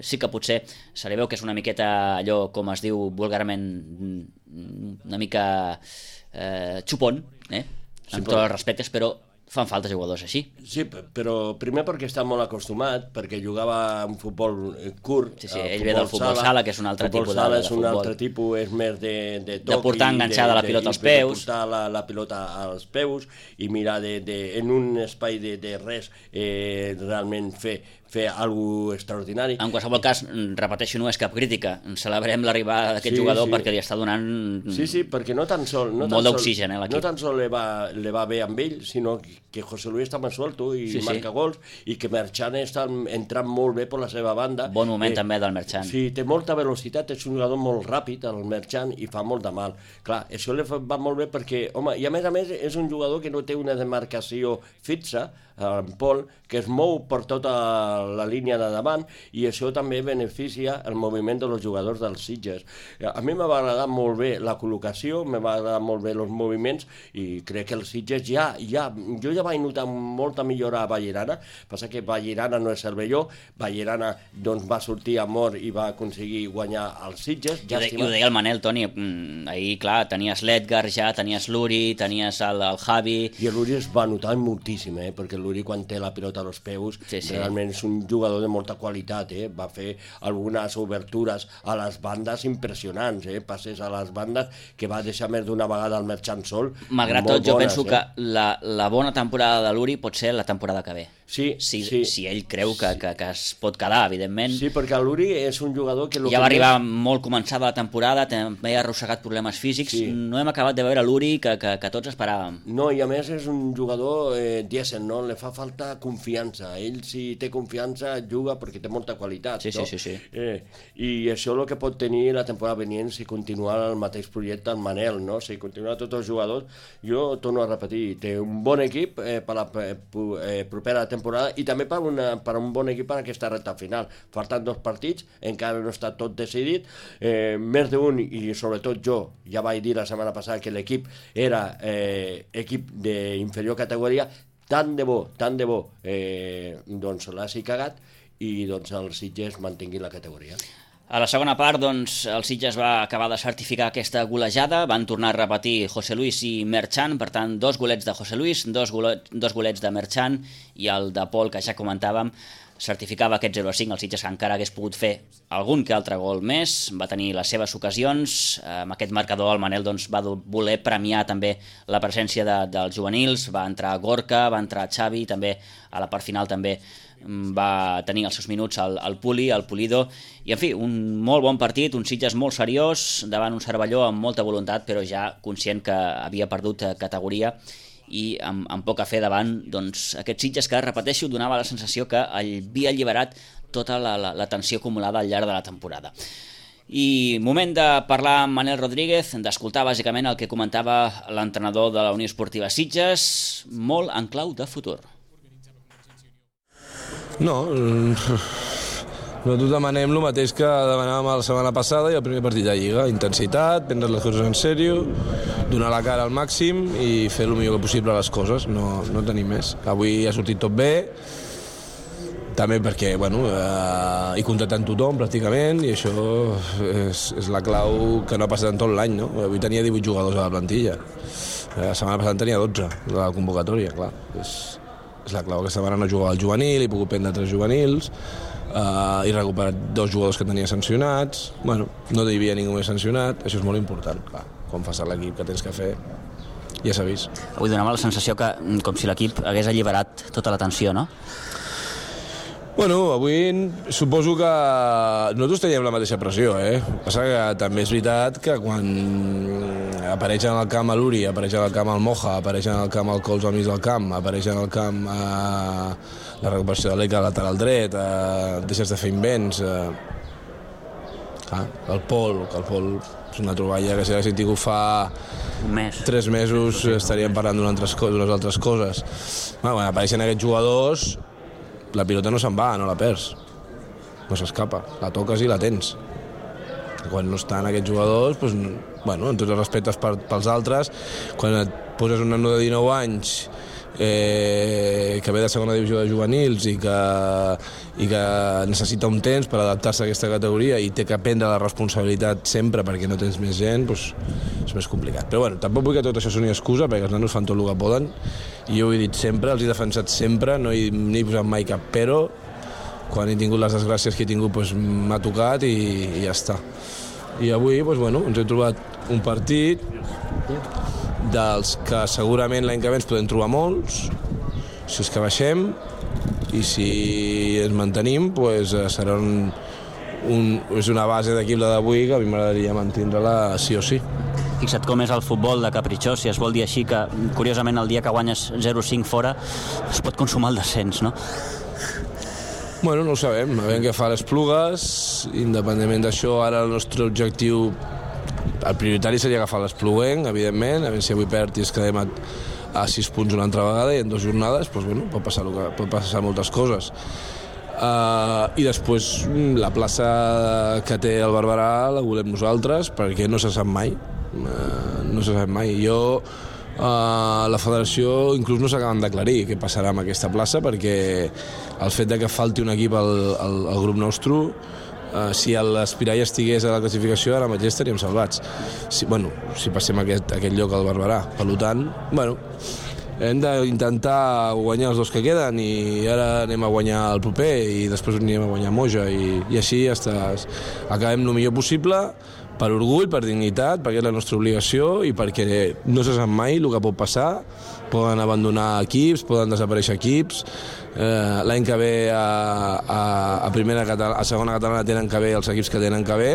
Sí que potser se li veu que és una miqueta allò, com es diu vulgarment, una mica xupón, amb tots els respectes, però fan falta jugadors així. Sí, però primer perquè està molt acostumat, perquè jugava un futbol curt. Sí, ell ve del futbol sala, que és un altre tipus de futbol. És un altre tipus, és més de toc. De portar enganxada la pilota als peus. De portar la pilota als peus i mirar en un espai de res realment fer alguna extraordinari. En qualsevol cas, repeteixo, no és cap crítica. Celebrem l'arribada d'aquest jugador perquè li està donant perquè no tan sol molt d'oxigen a l'equip. No tan sol li va bé amb ell, sinó que José Luis està més suelto i marca gols, i que Merchant està entrant molt bé per la seva banda. Bon moment també del Merchant. Sí, té molta velocitat, és un jugador molt ràpid, el Merchant, i fa molt de mal. Clar, això li va molt bé perquè, home, i a més és un jugador que no té una demarcació fixa, en Pol, que es mou per tot la línia de davant, i això també beneficia el moviment dels jugadors dels Sitges. A mi m'ha agradat molt bé la col·locació, m'ha agradat molt bé els moviments, i crec que els Sitges jo ja vaig notar molta millora a Vallirana. Passa que Vallirana no és Cervelló, Vallirana doncs, va sortir a mort i va aconseguir guanyar els Sitges. I ho deia el Manel, Toni, ahir, clar, tenies l'Edgar ja, tenies l'Uri, tenies el Javi... I l'Uri es va notar moltíssim, perquè l'Uri quan té la pilota als peus, realment és un jugador de molta qualitat, va fer algunes obertures a les bandes impressionants, passes a les bandes que va deixar més d'una vegada el Merchant sol. Malgrat tot, jo penso que la bona temporada de l'Uri pot ser la temporada que ve. Sí, si ell creu que es pot quedar, evidentment. Sí, perquè l'Uri és un jugador que... Ja va arribar molt començada la temporada, també ha arrossegat problemes físics, no hem acabat de veure l'Uri que tots esperàvem. No, i a més és un jugador dièsel, no? Le fa falta confiança. Ell, si té confiança, juga perquè té molta qualitat. Sí. I això és el que pot tenir la temporada venient si continua el mateix projecte en Manel, no? Si continua tots els jugadors, jo torno a repetir, té un bon equip per la propera temporada, i també per un bon equip per aquesta recta final. Falten 2 partits, encara no està tot decidit, més d'un, i sobretot jo ja vaig dir la setmana passada que l'equip era equip d'inferior categoria, tant de bo doncs l'hagi cagat i doncs els Sitges mantinguin la categoria. A la segona part, doncs, el Sitges va acabar de certificar aquesta golejada, van tornar a repetir José Luis i Merchant, per tant, 2 golets de José Luis, 2 golets de Merchant, i el de Pol, que ja comentàvem, certificava aquest 0-5, el Sitges encara hagués pogut fer algun que altre gol més, va tenir les seves ocasions, amb aquest marcador el Manel doncs, va voler premiar també la presència dels juvenils, va entrar Gorka, va entrar Xavi, també a la part final també va tenir els seus minuts el Puli, el Pulido, i en fi, un molt bon partit, un Sitges molt seriós, davant un Cervelló amb molta voluntat, però ja conscient que havia perdut categoria, i amb poc a fer davant doncs, aquest Sitges que, repeteixo, donava la sensació que havia alliberat tota la tensió acumulada al llarg de la temporada. I moment de parlar amb Manel Rodríguez, d'escoltar bàsicament el que comentava l'entrenador de la Unió Esportiva Sitges, molt en clau de futur. No, nosaltres demanem el mateix que demanàvem la setmana passada i el primer partit de Lliga. Intensitat, prendre les coses en sèrio, donar la cara al màxim i fer el millor possible les coses, no tenim més. Avui ha sortit tot bé, també perquè hi compten tothom pràcticament, i això és la clau que no ha passat en tot l'any, no? Avui tenia 18 jugadors a la plantilla, la setmana passada tenia 12 de la convocatòria, clar. És la clau, aquesta setmana no jugava al juvenil, he pogut prendre 3 juvenils, he recuperat 2 jugadors que tenia sancionats, no hi havia ningú més sancionat, això és molt important, clar, quan fas l'equip que tens que fer, ja s'ha vist. Avui donava la sensació que, com si l'equip hagués alliberat tota la tensió, no? Avui suposo que nosaltres teníem la mateixa pressió, Passa que també és veritat que quan apareix en el camp l'Uri, apareix en el camp el Moja, apareix en el camp el Cols al mig del camp, apareix en el camp la recuperació de l'Eca lateral dret, deixes de fer invents, el Pol és una troballa que si l'haguessin tingut fa 3 mesos estaríem parlant d'unes altres coses. Apareixen aquests jugadors, la pilota no se'n va, no la perds, no s'escapa, la toques i la tens. Quan no estan aquests jugadors, en tots els respectes pels altres, quan et poses un nano de 19 anys que ve de segona divisió de juvenils i que necessita un temps per adaptar-se a aquesta categoria i té que prendre la responsabilitat sempre perquè no tens més gent, és més complicat. Però tampoc vull que tot això soni excusa, perquè els nanos fan tot el que poden, i jo ho he dit sempre, els he defensat sempre, no he posat mai cap però, quan he tingut les desgràcies que he tingut m'ha tocat i ja està. I avui ens hem trobat un partit dels que segurament l'any que ve ens podem trobar molts, si és que baixem, i si ens mantenim serà és una base d'equip la d'avui que a mi m'agradaria mantindre-la sí o sí. Fixa't com és el futbol de capritxós, si es vol dir així, que curiosament el dia que guanyes 0-5 fora es pot consumar el descens, no? No ho sabem, a veure què fa les Plugues, independentment d'això, ara el nostre objectiu, el prioritari seria agafar l'Espluguenc, evidentment, a veure si avui perd i es quedem a 6 punts una altra vegada i en 2 jornades, pot passar moltes coses. I després la plaça que té el Barberà la volem nosaltres, perquè no se sap mai. La federació inclús no s'acaben d'aclarir què passarà amb aquesta plaça, perquè el fet de que falti un equip al grup nostre, si l'Espirall estigués a la classificació ara mateix estaríem salvats, si passem aquest lloc al Barberà. Per tant, hem d'intentar guanyar els 2 que queden, i ara anem a guanyar el proper i després anem a guanyar Moja, i així acabem el millor possible, per orgull, per dignitat, perquè és la nostra obligació i perquè no se sap mai el que pot passar. Poden abandonar equips, poden desaparèixer equips. L'any que ve a segona catalana tenen que ve els equips que tenen que ve,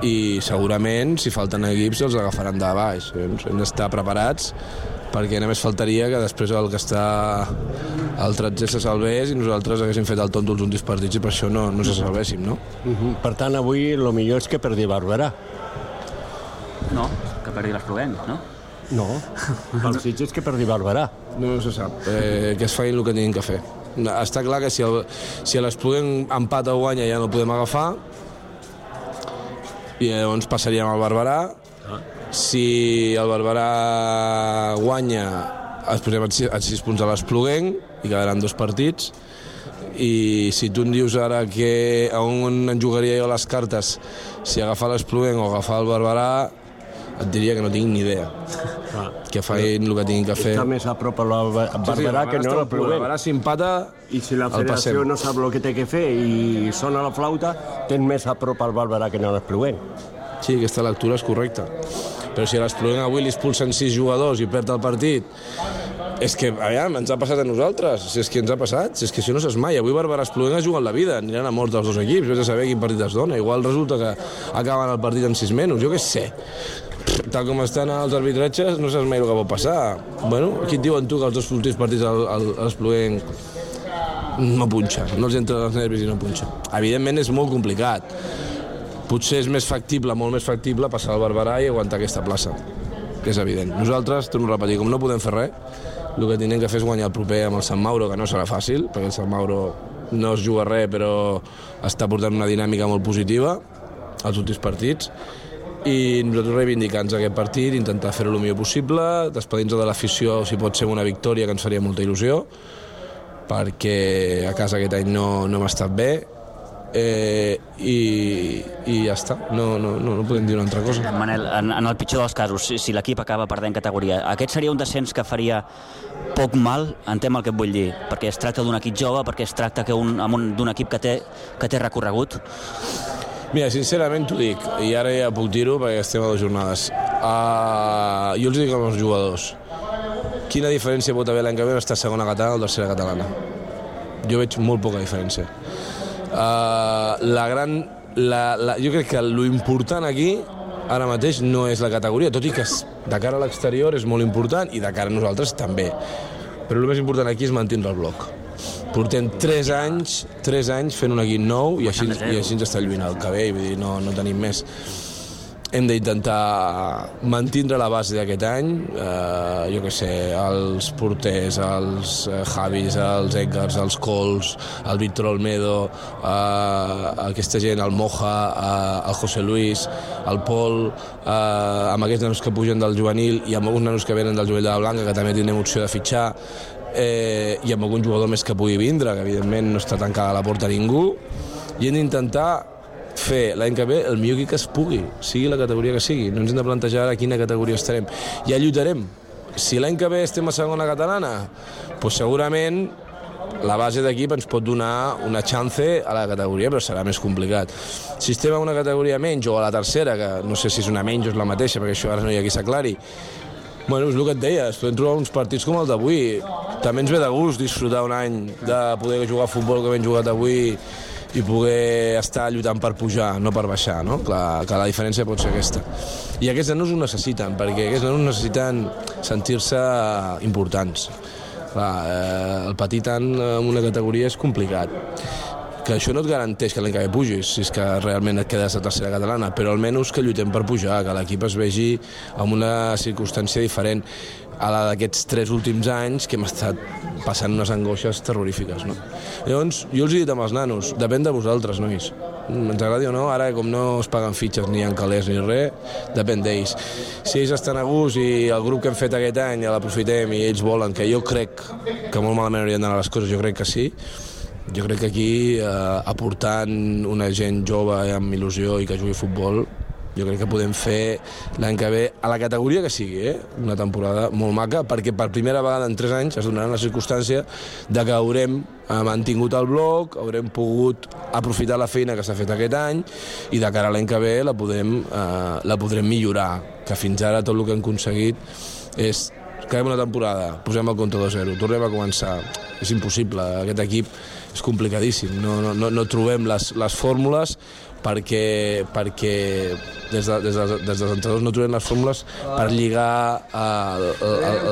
i segurament si falten equips els agafaran de baix. Hem d'estar preparats, perquè només faltaria que després el que està al 13è se salvés i nosaltres haguéssim fet el tonto els últims partits i per això no se salvéssim, no? Per tant, avui el millor és que perdi Barberà. No, que perdi l'Espluguenc, no? No, el Sitges és que perdi Barberà. No se sap, que es facin el que tinguin que fer. Està clar que si l'Espluguenc empata o guanya ja no el podem agafar, i llavors passaríem al Barberà. Si el Barberà guanya, ens posem a 6 punts a l'Espluguenc i quedaran 2 partits. I si tu em dius ara que on en jugaria jo les cartes, si agafar l'Espluguenc o agafar el Barberà, et diria que no tinc ni idea. Que facin el que tinguin que fer. Està més a prop al Barberà que no l'Espluguenc. El Barberà s'empata, i si la federació no sap el que té que fer i sona la flauta, tens més a prop al Barberà que no l'Espluguenc. Sí, aquesta lectura és correcta. Però si a l'Espluguenc avui li expulsen 6 jugadors i perd el partit, és que, aviam, ens ha passat a nosaltres, si és que ens ha passat, si és que això no saps mai. Avui Barberà Espluguenc es juguen la vida, aniran a mort els 2 equips, vés a saber quin partit es dona. Igual resulta que acaben el partit en 6 menys, jo què sé. Tal com estan els arbitratges, no saps mai el que pot passar. Aquí et diuen tu que els 2 últims partits a l'Espluguenc no punxa, no els entra els nervis i no punxa. Evidentment és molt complicat. Potser és més factible, molt més factible, passar al Barberà i aguantar aquesta plaça, que és evident. Nosaltres, torno a repetir, com no podem fer res, el que tenim que fer és guanyar el proper amb el Sant Mauro, que no serà fàcil, perquè el Sant Mauro no es juga res, però està portant una dinàmica molt positiva als últims partits, i nosaltres reivindicar-nos aquest partit, intentar fer-ho el millor possible, despedir-nos de l'afició, si pot ser una victòria, que ens faria molta il·lusió, perquè a casa aquest any no hem estat bé, i ja està, no podem dir una altra cosa. Manel, en el pitjor dels casos, si l'equip acaba perdent categoria, aquest seria un descens que faria poc mal, entenc el que et vull dir, perquè es tracta d'un equip jove, perquè es tracta d'un equip que té recorregut? Mira, sincerament t'ho dic, i ara ja puc dir-ho perquè estem a 2 jornades. Jo els dic als jugadors, quina diferència pot haver l'any que ve estar segona catalana o tercera catalana? Jo veig molt poca diferència. Jo crec que l'important aquí ara mateix no és la categoria, tot i que de cara a l'exterior és molt important i de cara a nosaltres també, però el més important aquí és mantenir el bloc. Portem 3 anys fent un equip nou i així ens està lluint el que ve, vull dir, no tenim més. Hem d'intentar mantenir la base d'aquest any, jo què sé, els porters, els Javis, els Edgars, els Cols, el Víctor Olmedo, aquesta gent, el Moja, el José Luis, el Pol, amb aquests nanos que pugen del juvenil i amb alguns nanos que venen del juvenil de la Blanca, que també tindrem opció de fitxar, i amb algun jugador més que pugui vindre, que evidentment no està tancada a la porta ningú, i hem d'intentar fer l'any que ve el millor que es pugui, sigui la categoria que sigui. No ens hem de plantejar a quina categoria estarem. Ja lluitarem. Si l'any que ve estem a segona catalana, doncs segurament la base d'equip ens pot donar una chance a la categoria, però serà més complicat. Si estem a una categoria menys o a la tercera, que no sé si és una menys o és la mateixa, perquè això ara no hi ha qui s'aclari, bueno, és el que et deia, es poden trobar uns partits com el d'avui. També ens ve de gust disfrutar un any de poder jugar a futbol com hem jugat avui i poder estar lluitant per pujar, no per baixar, no? Clar, que la diferència pot ser aquesta. I aquests nanos ho necessiten, perquè aquests nanos necessiten sentir-se importants. Clar, el petit en una categoria és complicat. que això no et garanteix que l'any que ve pugis, si és que realment et quedes a tercera catalana, però almenys que lluitem per pujar, que l'equip es vegi en una circumstància diferent a la d'aquests 3 últims anys que hem estat passant unes angoixes terrorífiques, no? Llavors, jo els he dit amb els nanos, depèn de vosaltres, nois. Ens agradi o no, ara com no es paguen fitxes ni en calés ni res, depèn d'ells. Si ells estan a gust i el grup que hem fet aquest any ja l'aprofitem i ells volen, que jo crec que molt malament haurien d'anar les coses, jo crec que sí, jo crec que aquí aportant una gent jove amb il·lusió i que jugui a futbol, jo crec que podem fer l'any que ve a la categoria que sigui, una temporada molt maca, perquè per primera vegada en 3 anys es donaran la circumstància de que haurem mantingut el bloc, haurem pogut aprofitar la feina que s'ha fet aquest any i de cara a l'any que ve la podrem millorar, que fins ara tot el que hem aconseguit és acabem una temporada, posem el compte 2-0, tornem a començar. És impossible, aquest equip és complicadíssim, no trobem les fórmules perquè des dels entrenadors no trobem les fórmules per lligar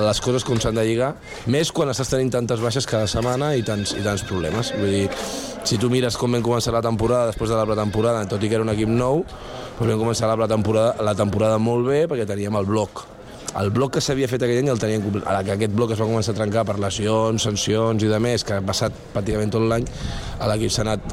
les coses com s'han de lligar, més quan estàs tenint tantes baixes cada setmana i tants problemes. Vull dir, si tu mires com vam començar la temporada després de la pretemporada, tot i que era un equip nou, doncs vam començar la temporada molt bé perquè teníem el bloc. El bloc que s'havia fet aquell any el teníem complet. Ara que aquest bloc es va començar a trencar per lesions, sancions i de més, que ha passat pràcticament tot l'any, l'equip s'ha anat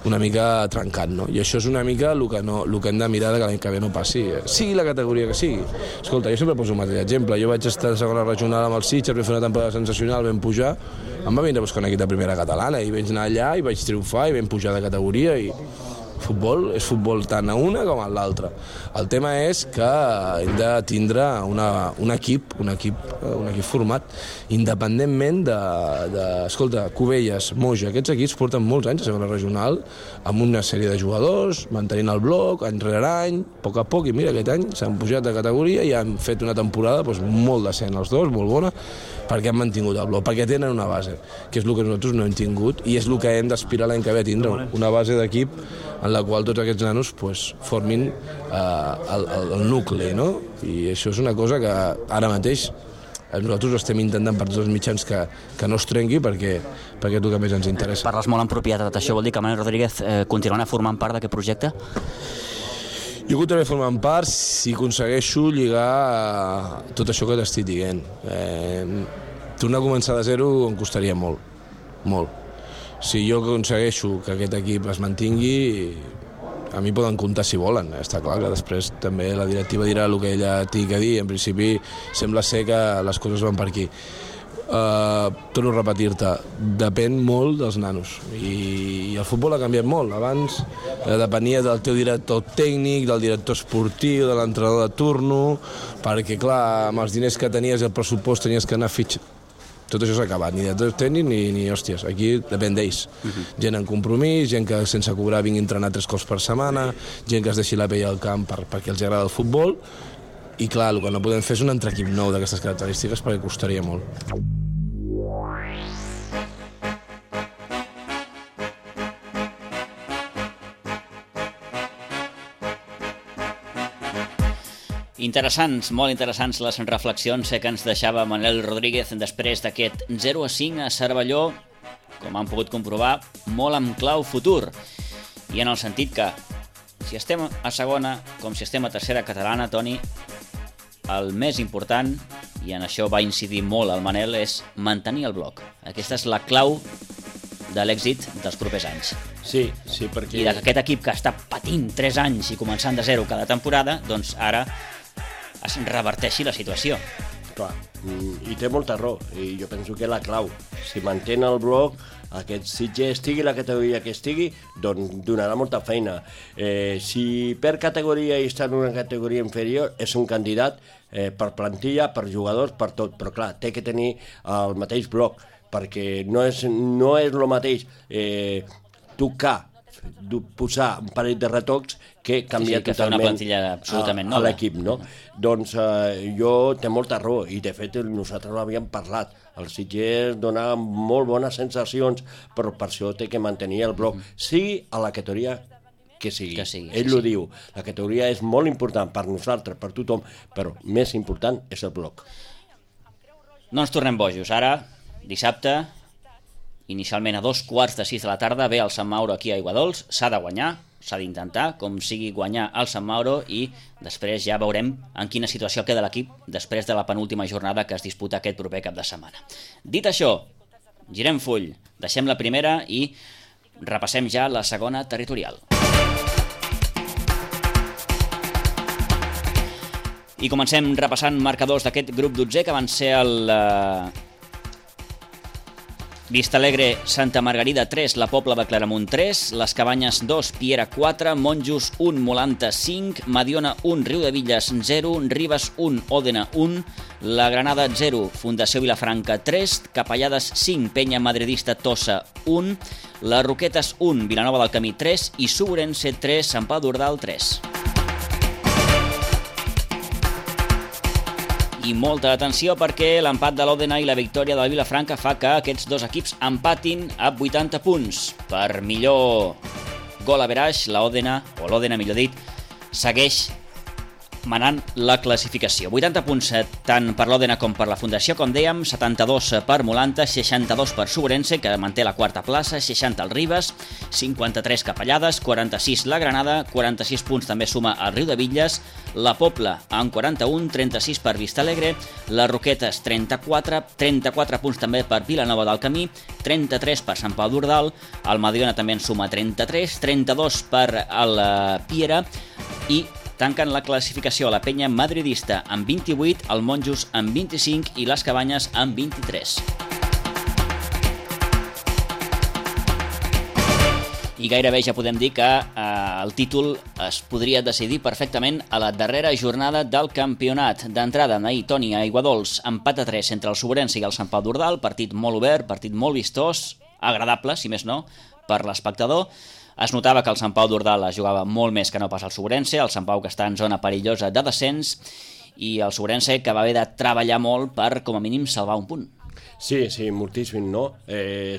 una mica trencant, no? I això és una mica el que hem de mirar que l'any que ve no passi. Sigui la categoria que sigui. Escolta, jo sempre poso un mateix exemple. Jo vaig estar a segona regional amb el Sitges, vam fer una temporada sensacional, vam pujar, em va vindre a buscar un equip de primera catalana i vaig anar allà i vaig triomfar i vam pujar de categoria i futbol és futbol tant a una com a l'altra. El tema és que hem de tindre un equip format independentment escolta, Cubelles, Moja, aquests equips porten molts anys a segona regional amb una sèrie de jugadors, mantenint el bloc any rere any, a poc, i mira, aquest any s'han pujat de categoria i han fet una temporada molt decent els dos, molt bona, perquè han mantingut el bloc, perquè tenen una base, que és el que nosaltres no hem tingut i és el que hem d'aspirar l'any que ve a tindre, una base d'equip en la qual tots aquests nanos formin el nucli, no? I això és una cosa que ara mateix nosaltres estem intentant per tots els mitjans que no es trenqui perquè és el que més ens interessa. Parles molt en propietat, això vol dir que Manel Rodríguez continuarà formant part d'aquest projecte? Jo continuaré formant part si aconsegueixo lligar tot això que t'estic dient. Tornar a començar de zero em costaria molt, molt. Si jo aconsegueixo que aquest equip es mantingui, a mi poden comptar si volen. Està clar que després també la directiva dirà el que ella tingui a dir. En principi sembla ser que les coses van per aquí. Torno a repetir-te, depèn molt dels nanos i el futbol ha canviat molt. Abans depenia del teu director tècnic, del director esportiu, de l'entrenador de turno, perquè clar, amb els diners que tenies i el pressupost tenies que anar a fitxar. Tot això s'ha acabat, ni director tècnic ni hòsties, aquí depèn d'ells. Gent en compromís, gent que sense cobrar vingui a entrenar 3 cops per setmana, gent que es deixi la pell al camp perquè els agrada el futbol, i clar, el que no podem fer és un altre equip nou d'aquestes característiques perquè costaria molt. Interessants, molt interessants les reflexions que ens deixava Manel Rodríguez després d'aquest 0-5 a Cervelló, com han pogut comprovar, molt amb clau futur. I en el sentit que, si estem a segona, com si estem a tercera catalana, Toni, el més important, i en això va incidir molt el Manel, és mantenir el bloc. Aquesta és la clau de l'èxit dels propers anys. Sí, perquè... I d'aquest equip que està patint 3 anys i començant de zero cada temporada, doncs ara es reverteixi la situació. Clar, i té molta raó, i jo penso que la clau, si mantén el bloc, aquest Sitges estigui la categoria que estigui, doncs donarà molta feina. Si per categoria i està en una categoria inferior, és un candidat per plantilla, per jugadors, per tot, però clar, té que tenir el mateix bloc, perquè no és el mateix tocar, posar un parell de retocs que canvia que totalment una plantilla absolutament nova a l'equip, no? Doncs jo té molta raó, i de fet nosaltres ho havíem parlat. El Sitges donava molt bones sensacions, però per això té que mantenir el bloc, sigui a la categoria que sigui. Ell ho diu, la categoria és molt important per nosaltres, per tothom, però més important és el bloc. No ens tornem bojos. Ara, dissabte, inicialment a 2:15 de la tarda, ve el Sant Mauro aquí a Aiguadols, s'ha de guanyar, s'ha d'intentar, com sigui guanyar el Sant Mauro, i després ja veurem en quina situació queda l'equip després de la penúltima jornada que es disputa aquest proper cap de setmana. Dit això, girem full, deixem la primera i repassem ja la segona territorial. I comencem repassant marcadors d'aquest grup 12, que van ser el Vistalegre Santa Margarida 3, la Pobla de Claramunt 3, les Cabanyes 2, Piera 4, Monjos 1, Molanta 5, Mediona 1, Riudevilles 0, Ribes 1, Òdena 1, la Granada 0, Fundació Vilafranca 3, Capellades 5, Penya Madridista Tossa 1, les Roquetes 1, Vilanova del Camí 3 i Suburense 3, Sant Pau d'Ordal 3. I molta atenció perquè l'empat de l'Òdena i la victòria de la Vilafranca fa que aquests dos equips empatin a 80 punts. Per millor gol average, l'Òdena, o l'Òdena millor dit, segueix manant la classificació. 80 punts tant per l'Òdena com per la Fundació, com dèiem, 72 per Molanta, 62 per Suburense, que manté la quarta plaça, 60 el Ribes, 53 Capellades, 46 la Granada, 46 punts també suma el Riudevilles, la Pobla amb 41, 36 per Vistalegre, les Roquetes 34 punts també per Vilanova del Camí, 33 per Sant Pau d'Ordal, el Mediona també en suma 33, 32 per el Piera i tanquen la classificació a la Penya Madridista amb 28, el Monjos amb 25 i les Cabanyes amb 23. I gairebé ja podem dir que el títol es podria decidir perfectament a la darrera jornada del campionat. D'entrada, ahir, Toni, a Aiguadols, empat a 3 entre el Suburense i el Sant Pau d'Ordal, partit molt obert, partit molt vistós, agradable, si més no, per l'espectador. Es notava que el Sant Pau d'Ordal es jugava molt més que no pas el Suburense, el Sant Pau que està en zona perillosa de descens, i el Suburense que va haver de treballar molt per, com a mínim, salvar un punt. Sí, moltíssim, no?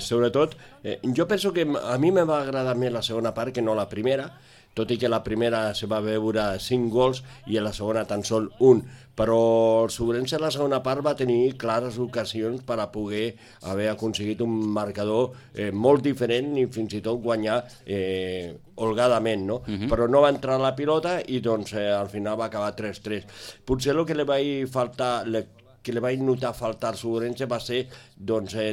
Sobretot, jo penso que a mi me va agradar més la segona part que no la primera, tot i que la primera se va veure 5 gols i a la segona tan sol 1, però el Suburense a la segona part va tenir clares ocasions per a poder haver aconseguit un marcador molt diferent i fins i tot guanyar holgadament, no? Però no va entrar la pilota i doncs al final va acabar 3-3. Potser el que li vaig faltar, que li vaig notar faltar al Suburense va ser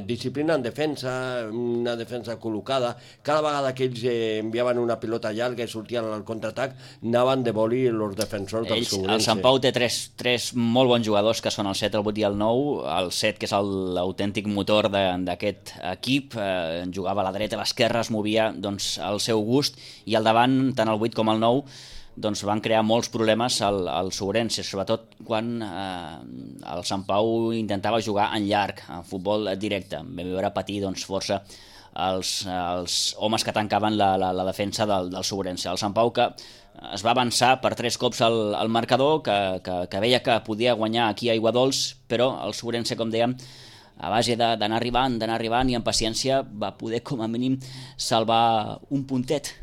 disciplina en defensa, una defensa col·locada. Cada vegada que ells enviaven una pilota llarga i sortien al contraatac, anaven de boli els defensors del Suburense. El Sant Pau té tres molt bons jugadors, que són el 7, el 8 i el 9. El 7, que és l'autèntic motor d'aquest equip, jugava a la dreta, a l'esquerra, es movia al seu gust, i al davant, tant el 8 com el 9, van crear molts problemes al Suburense, sobretot quan el Sant Pau intentava jugar en llarg, en futbol directe. Vam veure patir força els homes que tancaven la defensa del Suburense. El Sant Pau que es va avançar per 3 cops al marcador, que veia que podia guanyar aquí a Aiguadols, però el Suburense, com dèiem, a base d'anar arribant i amb paciència va poder com a mínim salvar un puntet.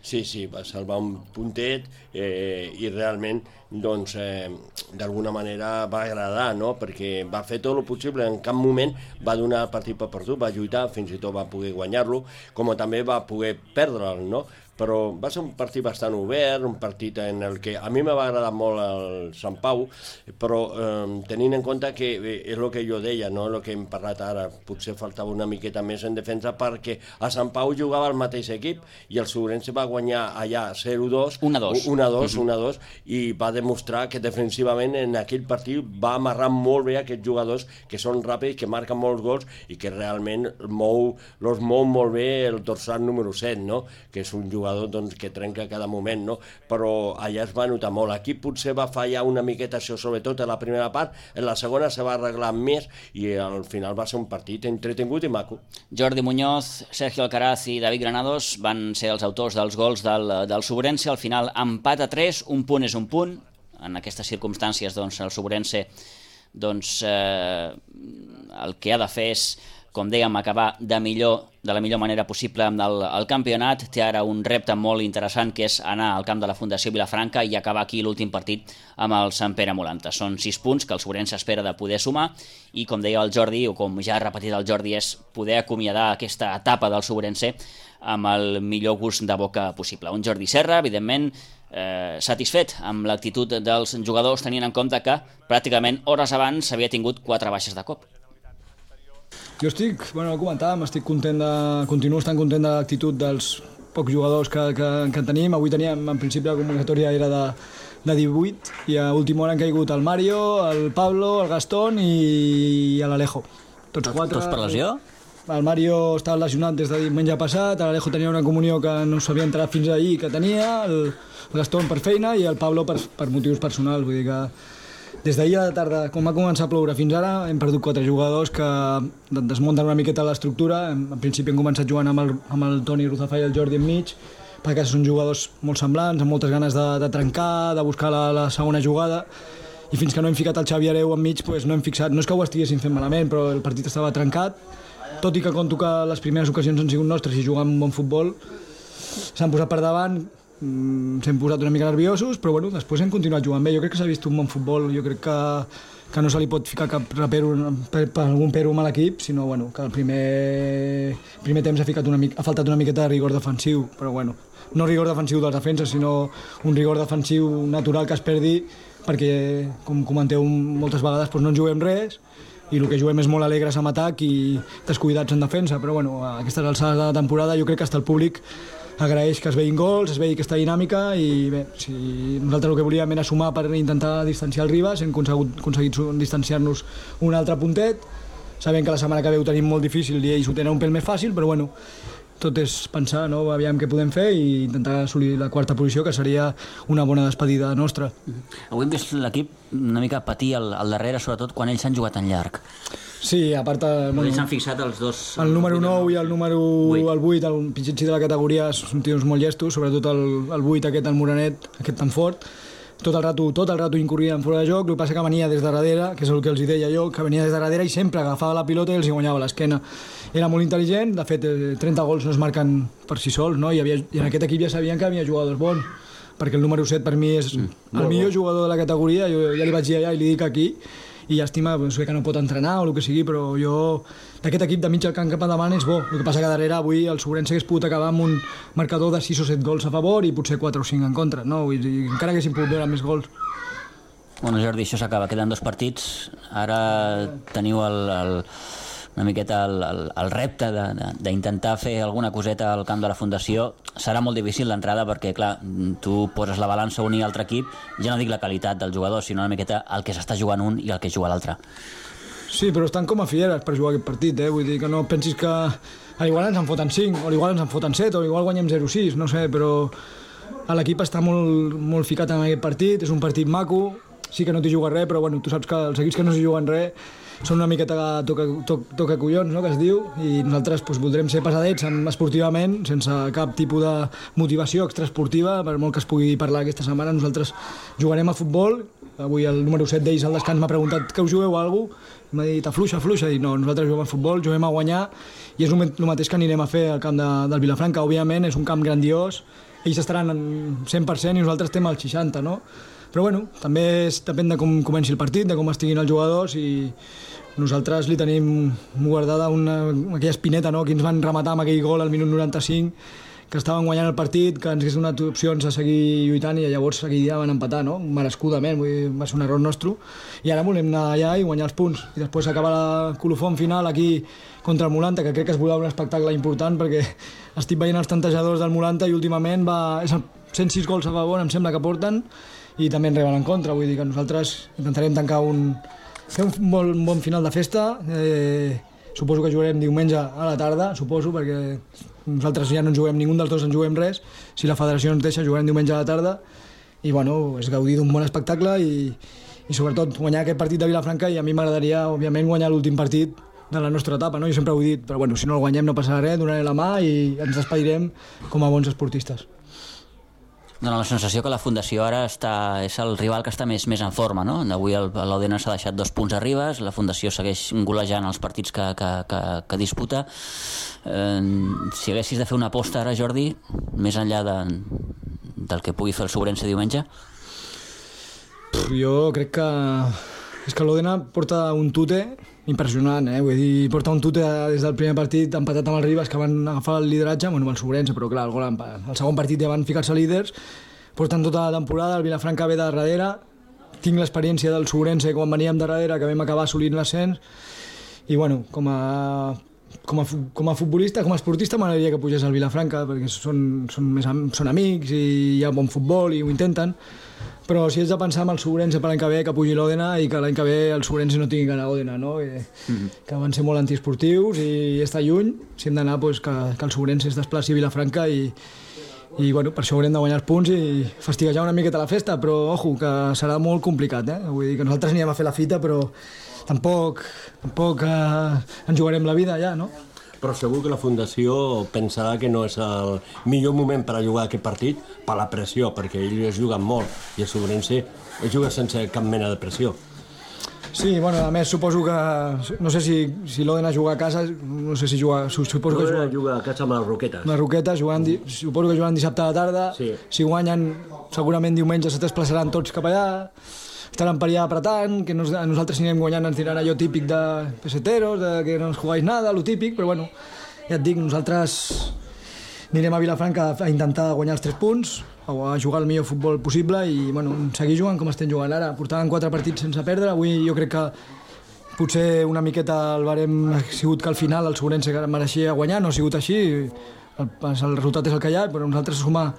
Sí, va salvar un puntet i realment d'alguna manera va agradar, no? Perquè va fer tot el possible, en cap moment va donar el partit per perdut, va lluitar, fins i tot va poder guanyar-lo, com també va poder perdre'l, no? Però va ser un partit bastant obert, un partit en el que a mi me va agradar molt el Sant Pau, però tenint en compte que és el que jo deia, no? El que hem parlat ara, potser faltava una miqueta més en defensa, perquè a Sant Pau jugava el mateix equip i el Suburense va guanyar allà 0-2, 1-2, i va demostrar que defensivament en aquell partit va amarrar molt bé aquests jugadors que són ràpids, que marquen molts gols i que realment els mou molt bé el dorsal número 7, no? Que és un jugador que trenca cada moment, no? Però allà es va notar molt. Aquí potser va fallar una miqueta això, sobretot a la primera part, en la segona se va arreglar més i al final va ser un partit entretingut i maco. Jordi Muñoz, Sergio Alcaraz i David Granados van ser els autors dels gols del Suburense. Al final empat a 3, un punt és un punt. En aquestes circumstàncies el Suburense el que ha de fer és com dèiem, acabar de la millor manera possible amb el campionat. Té ara un repte molt interessant, que és anar al camp de la Fundació Vilafranca i acabar aquí l'últim partit amb el Sant Pere Molanta. Són 6 punts que el Sobrense espera de poder sumar i, com deia el Jordi, o com ja ha repetit el Jordi, és poder acomiadar aquesta etapa del Sobrense amb el millor gust de boca possible. Un Jordi Serra, evidentment, satisfet amb l'actitud dels jugadors, tenint en compte que pràcticament hores abans s'havia tingut 4 baixes de cop. Jo continuo estant content de l'actitud dels pocs jugadors que tenim. Avui teníem, en principi, la convocatòria era de 18 i a última hora han caigut el Mario, el Pablo, el Gastón i l'Alejo. Tots 4. Tots per lesió? El Mario estava lesionat des de diumenge passat, l'Alejo tenia una comunió que no s'havia entrat fins ahir que tenia, el Gastón per feina i el Pablo per motius personals. Vull dir que des d'ahir a la tarda, com va començar a ploure fins ara, hem perdut 4 jugadors que desmunten una miqueta l'estructura. En principi hem començat jugant amb el Toni Ruzafà i el Jordi enmig, perquè són jugadors molt semblants, amb moltes ganes de trencar, de buscar la segona jugada, i fins que no hem ficat el Xavi Hereu enmig no hem fixat, no és que ho estiguessin fent malament, però el partit estava trencat. Tot i que conto que les primeres ocasions han sigut nostres i jugant un bon futbol, s'han posat per davant, s'hem posat una mica nerviosos, però bueno, després hem continuat jugant bé. Jo crec que s'ha vist un bon futbol, jo crec que no se li pot ficar cap algun pero a l'equip, sinó bueno, que el primer temps ha faltat una miqueta de rigor defensiu, però bueno, no rigor defensiu dels defenses, sinó un rigor defensiu natural que es perdi, perquè, com comenteu moltes vegades, no en juguem res, i el que juguem és molt alegres en atac i descuidats en defensa, però bueno, a aquestes alçades de la temporada jo crec que hasta el públic agraeix que es veïn gols, es veï aquesta dinàmica, i bé, si nosaltres el que volíem era sumar per intentar distanciar el Ribas, hem aconseguit distanciar-nos un altre puntet, sabem que la setmana que ve ho tenim molt difícil i ells ho tenen un pèl més fàcil, però bueno, tot és pensar, no? Aviam què podem fer i intentar assolir la 4ª posició, que seria una bona despedida nostra. Avui hem vist l'equip una mica patir al darrere, sobretot quan ells s'han jugat tan llarg. Sí, a part... Ells s'han fixat els dos... El número 9 i el número 8, el pitxitxí de la categoria, són tios molt llestos, sobretot el 8 aquest, el Morenet, aquest tan fort. Tot el rato incorrien fora de joc, el que passa que venia des de darrere, que és el que els deia jo, que venia des de darrere i sempre agafava la pilota i els guanyava l'esquena. Era molt intel·ligent, de fet 30 gols no es marquen per si sols, no? I en aquest equip ja sabien que havia jugadors bons, perquè el número 7 per mi és el millor jugador de la categoria, jo ja li vaig dir allà i li dic aquí, i llàstima que no pot entrenar o el que sigui, però jo d'aquest equip de mig al camp cap endavant és bo. El que passa que darrere avui el Sobrense hagués pogut acabar amb un marcador de 6 o 7 gols a favor i potser 4 o 5 en contra, no? Vull dir, encara haguéssim pogut veure més gols. Bueno, Jordi, això s'acaba, queden 2 partits, ara teniu una miqueta el repte d'intentar fer alguna coseta al camp de la Fundació. Serà molt difícil l'entrada perquè, clar, tu poses la balança un i altre equip, ja no dic la qualitat del jugador, sinó una miqueta el que s'està jugant un i el que juga l'altre. Sí, però estan com a fieres per jugar aquest partit, vull dir que no pensis que igual ens en foten 5, o igual ens en foten 7, o igual guanyem 0-6, no sé, però l'equip està molt ficat en aquest partit, és un partit maco, sí que no t'hi juga res, però bueno, tu saps que els equips que no s'hi juguen res són una miqueta toca collons, no?, que es diu, i nosaltres voldrem ser pesadets esportivament, sense cap tipus de motivació extraesportiva, per molt que es pugui parlar aquesta setmana. Nosaltres jugarem a futbol. Avui el número 7 d'ells al descans m'ha preguntat que us jugueu a alguna cosa, m'ha dit afluixa, i no, nosaltres juguem a futbol, juguem a guanyar, i és el mateix que anirem a fer al camp del Vilafranca. Òbviament és un camp grandiós, ells estaran en 100% i nosaltres estem al 60%, no? Però bueno, també depèn de com comenci el partit, de com estiguin els jugadors, i nosaltres li tenim guardada aquella espineta, no?, que ens van rematar amb aquell gol al minut 95, que estaven guanyant el partit, que ens hagués donat opcions a seguir lluitant, i llavors aquell dia van empatar, no?, merescudament, va ser un error nostre, i ara volem anar allà i guanyar els punts, i després acabar la colofó final aquí contra el Molanta, que crec que es veurà un espectacle important, perquè estic veient els tantejadors del Molanta i últimament és 106 gols a favor, em sembla que porten, i també en reben en contra. Vull dir que nosaltres intentarem fer un bon final de festa. Suposo que jugarem diumenge a la tarda, suposo, perquè nosaltres ja no en juguem, ningú dels dos en juguem res. Si la federació ens deixa, jugarem diumenge a la tarda, i bueno, és gaudir d'un bon espectacle i sobretot guanyar aquest partit de Vilafranca, i a mi m'agradaria, òbviament, guanyar l'últim partit de la nostra etapa, no? Jo sempre ho he dit, però bueno, si no el guanyem no passarà res, donaré la mà i ens despedirem com a bons esportistes. Dóna la sensació que la Fundació ara és el rival que està més en forma, no? Avui l'Òdena s'ha deixat 2 punts a Ribes, la Fundació segueix golejant els partits que disputa. Si haguessis de fer una aposta ara, Jordi, més enllà del que pugui fer el Sobrense diumenge? Jo crec que... És que l'Òdena porta un tute impressionant, vull dir, porta un tute des del primer partit empatat amb el Ribes, que van agafar el lideratge, bueno, amb el Sobrense, però clar, el segon partit ja van ficar-se líders, porten tota la temporada, el Vilafranca ve de darrere, tinc l'experiència del Sobrense quan veníem de darrere, que vam acabar assolint l'ascens, i bueno, com a futbolista, com a esportista, m'agradaria que pugés al Vilafranca, perquè són amics i hi ha bon futbol i ho intenten, però si has de pensar en el Sobrense per l'any que ve, que pugi l'Òdena i que l'any que ve el Sobrense no tingui que anar a Òdena, no? Que van ser molt antiesportius i està lluny, si hem d'anar que el Sobrense es desplaci a Vilafranca i bueno, per això haurem de guanyar els punts i fastiguejar una miqueta la festa, però ojo, que serà molt complicat, Vull dir que nosaltres anirem a fer la fita, però tampoc ens jugarem la vida ja, no? Però segur que la Fundació pensarà que no és el millor moment per a jugar aquest partit per la pressió, perquè ells es juguen molt i el Sobrense es juga sense cap mena de pressió. Sí, bueno, a més suposo que... No sé si l'Òdena juga a casa, no sé si juga... L'Òdena juga a casa amb les Roquetes. Les Roquetes, suposo que juguen dissabte a la tarda, sí. Si guanyen segurament diumenge se desplaçaran tots cap allà, estaran per allà apretant, que nosaltres anirem guanyant, ens diran allò típic de peseteros, de que no ens jugáis nada, lo típic, però bueno, ja et dic, nosaltres anirem a Vilafranca a intentar guanyar els 3 punts, a jugar el millor futbol possible i bueno, seguir jugant com estem jugant ara. Portaven 4 partits sense perdre, avui jo crec que potser una miqueta el barem ha sigut que al final el Sobrense mereixia guanyar, no ha sigut així, el resultat és el que hi ha, però nosaltres sumar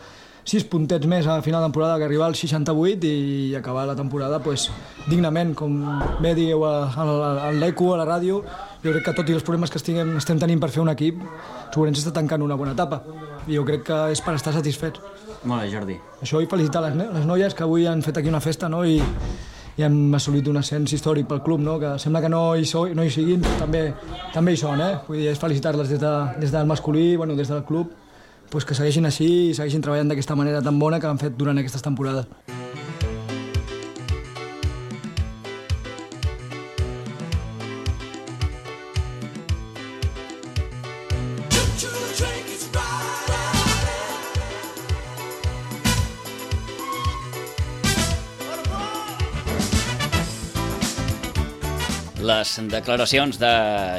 6 puntets més a final de temporada que arribar als 68 i acabar la temporada dignament, com bé dieu a l'ECO, a la ràdio. Jo crec que tot i els problemes que estem tenint per fer un equip, Sobrense està tancant una bona etapa i jo crec que és per estar satisfets. Molt bé, Jordi. Això i felicitar les noies que avui han fet aquí una festa, no? I hem assolit un ascens històric pel club, no? Que sembla que no hi siguin, també hi són, Vull dir, és felicitar-les des del masculí, bueno, des del club, que segueixin així i segueixin treballant d'aquesta manera tan bona que han fet durant aquestes temporades. Les declaracions de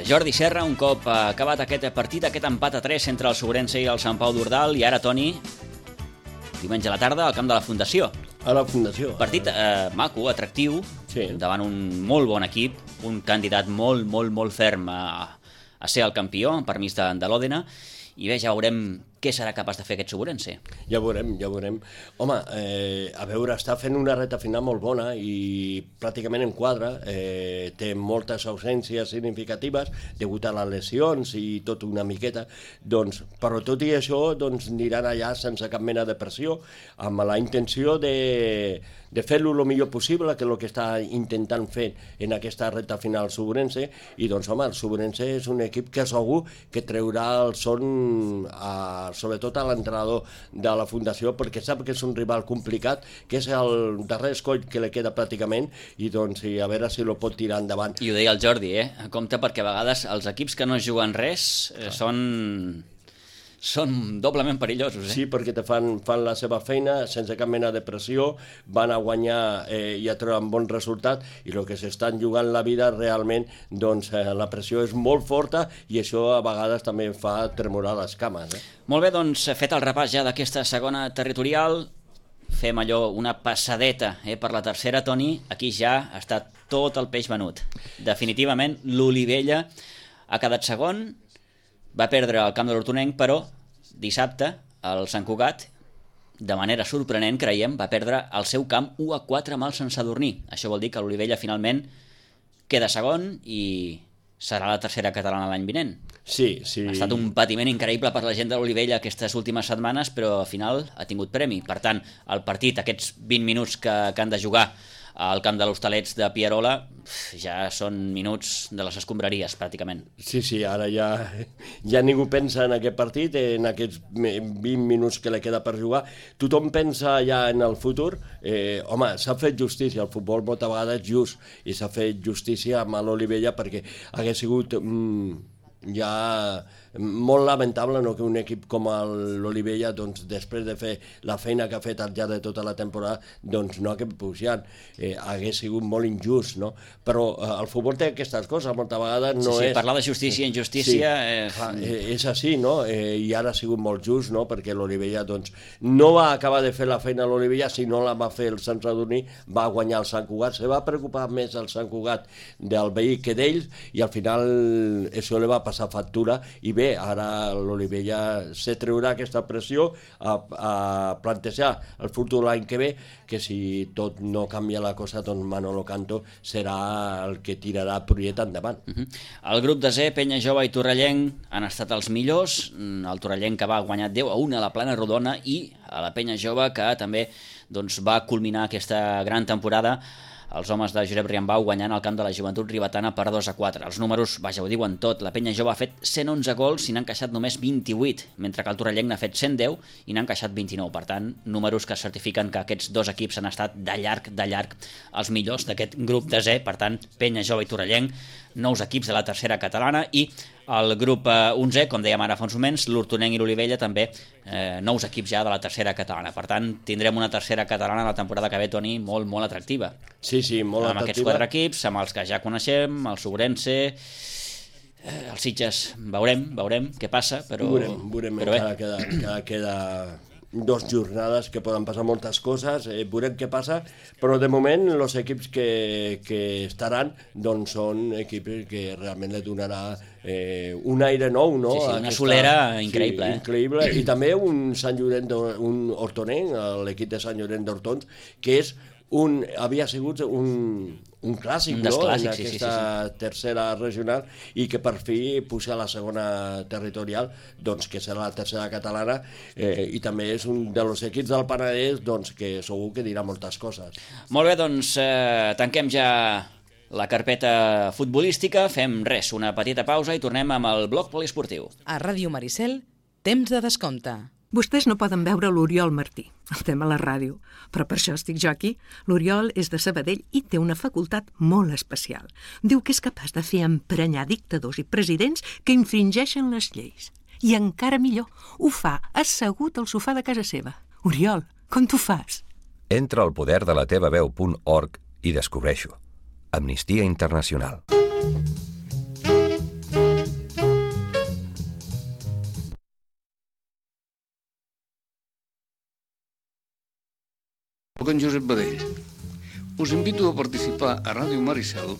Jordi Serra un cop acabat aquest partit, aquest empat a 3 entre el Sobrense i el Sant Pau d'Ordal. I ara, Toni, diumenge a la tarda al camp de la Fundació. A la Fundació. Partit maco, atractiu, sí. Davant un molt bon equip, un candidat molt ferm a ser el campió, per mig de l'Òdena. I bé, ja veurem què serà capaç de fer aquest Sobrense. Ja veurem. Home, a veure, està fent una reta final molt bona i pràcticament en quadre, té moltes ausències significatives degut a les lesions i tot una miqueta, doncs, però tot i això aniran allà sense cap mena de pressió, amb la intenció de fer-lo el millor possible, que és el que està intentant fer en aquesta reta final el Sobrense, i doncs, home, el Sobrense és un equip que segur que treurà el son sobretot a l'entrenador de la Fundació, perquè sap que és un rival complicat, que és el darrer escoll que li queda pràcticament, i doncs a veure si lo pot tirar endavant. I ho deia el Jordi, compte, perquè a vegades els equips que no juguen res són doblement perillosos. Sí, perquè te fan la seva feina sense cap mena de pressió, van a guanyar i a treure un bon resultat, i el que s'estan jugant la vida realment, doncs la pressió és molt forta i això a vegades també fa tremolar les cames. Molt bé, doncs fet el repàs ja d'aquesta segona territorial, fem allò, una passadeta per la tercera, Toni. Aquí ja està tot el peix venut. Definitivament l'Olivella ha quedat segon, va perdre el camp de l'Hortonenc, però dissabte el Sant Cugat, de manera sorprenent, creiem, va perdre el seu camp 1-4 amb el Sant Sadurní. Això vol dir que l'Olivella finalment queda segon i serà la tercera catalana l'any vinent. Sí. Ha estat un patiment increïble per la gent de l'Olivella aquestes últimes setmanes, però al final ha tingut premi. Per tant, el partit, aquests 20 minuts que han de jugar al camp de l'Hostalets de Pierola, ja són minuts de les escombraries, pràcticament. Sí, ara ja ningú pensa en aquest partit, en aquests 20 minuts que li queda per jugar. Tothom pensa ja en el futur. Home, s'ha fet justícia, el futbol moltes vegades just, i s'ha fet justícia amb l'Olivella perquè hagués sigut ja molt lamentable que un equip com l'Olivella, després de fer la feina que ha fet al llarg de tota la temporada, no hagués pujat. Hagués sigut molt injust, no? Però el futbol té aquestes coses, moltes vegades no és... Sí, parlar de justícia i injustícia... És així, no? I ara ha sigut molt just, no? Perquè l'Olivella no va acabar de fer la feina a l'Olivella, sinó la va fer el Sant Sadurní, va guanyar el Sant Cugat, se va preocupar més el Sant Cugat del veí que d'ells, i al final això li va passar factura, i bé, ara l'Olivella se treurà aquesta pressió a plantejar el futur l'any que ve, que si tot no canvia la cosa, doncs Manolo Canto serà el que tirarà Pruiet endavant. El grup de Z, Penya Jove i Torrellenc han estat els millors. El Torrellenc que va guanyar 10-1 a la Plana Rodona, i a la Penya Jove que també va culminar aquesta gran temporada, els homes de Josep Riambau guanyant al camp de la Joventut Ribetana per 2-4. Els números, vaja, ho diuen tot. La Penya Jove ha fet 111 gols i n'ha encaixat només 28, mentre que el Torrellenc n'ha fet 110 i n'ha encaixat 29. Per tant, números que certifiquen que aquests dos equips han estat de llarg els millors d'aquest grup de Z. Per tant, Penya Jove i Torrellenc, nous equips de la tercera catalana, i el grup 11, com dèiem ara fa uns moments, l'Hortonenc i l'Olivella també nous equips ja de la tercera catalana. Per tant, tindrem una tercera catalana la temporada que ve, Toni, molt, molt atractiva. Sí, molt atractiva. Amb aquests 4 equips, amb els que ja coneixem, el Sobrense, el Sitges, veurem què passa, però... Veurem, encara queda 2 jornades que poden passar moltes coses, veurem què passa, però de moment els equips que estaran són equips que realment li donarà un aire nou, no? Sí, una solera increïble. Increïble, i també un Sant Llorenç, un Hortonenc, l'equip de Sant Llorenç d'Hortons, que havia sigut un clàssic, no? En aquesta tercera regional, i que per fi puja a la segona territorial, que serà la tercera catalana, i també és un dels equips del Penedès que segur que dirà moltes coses. Molt bé, tanquem ja la carpeta futbolística, fem una petita pausa i tornem amb el bloc poliesportiu. A Ràdio Maricel, temps de descompte. Vostès no poden veure l'Oriol Martí, el tema a la ràdio, però per això estic jo aquí. L'Oriol és de Sabadell i té una facultat molt especial. Diu que és capaç de fer emprenyar dictadors i presidents que infringeixen les lleis. I encara millor, ho fa assegut al sofà de casa seva. Oriol, com t'ho fas? Entra al poderdelatevaveu.org i descobreixo. Amnistia Internacional. Soc en Josep Badell. Us invito a participar a Ràdio Maricel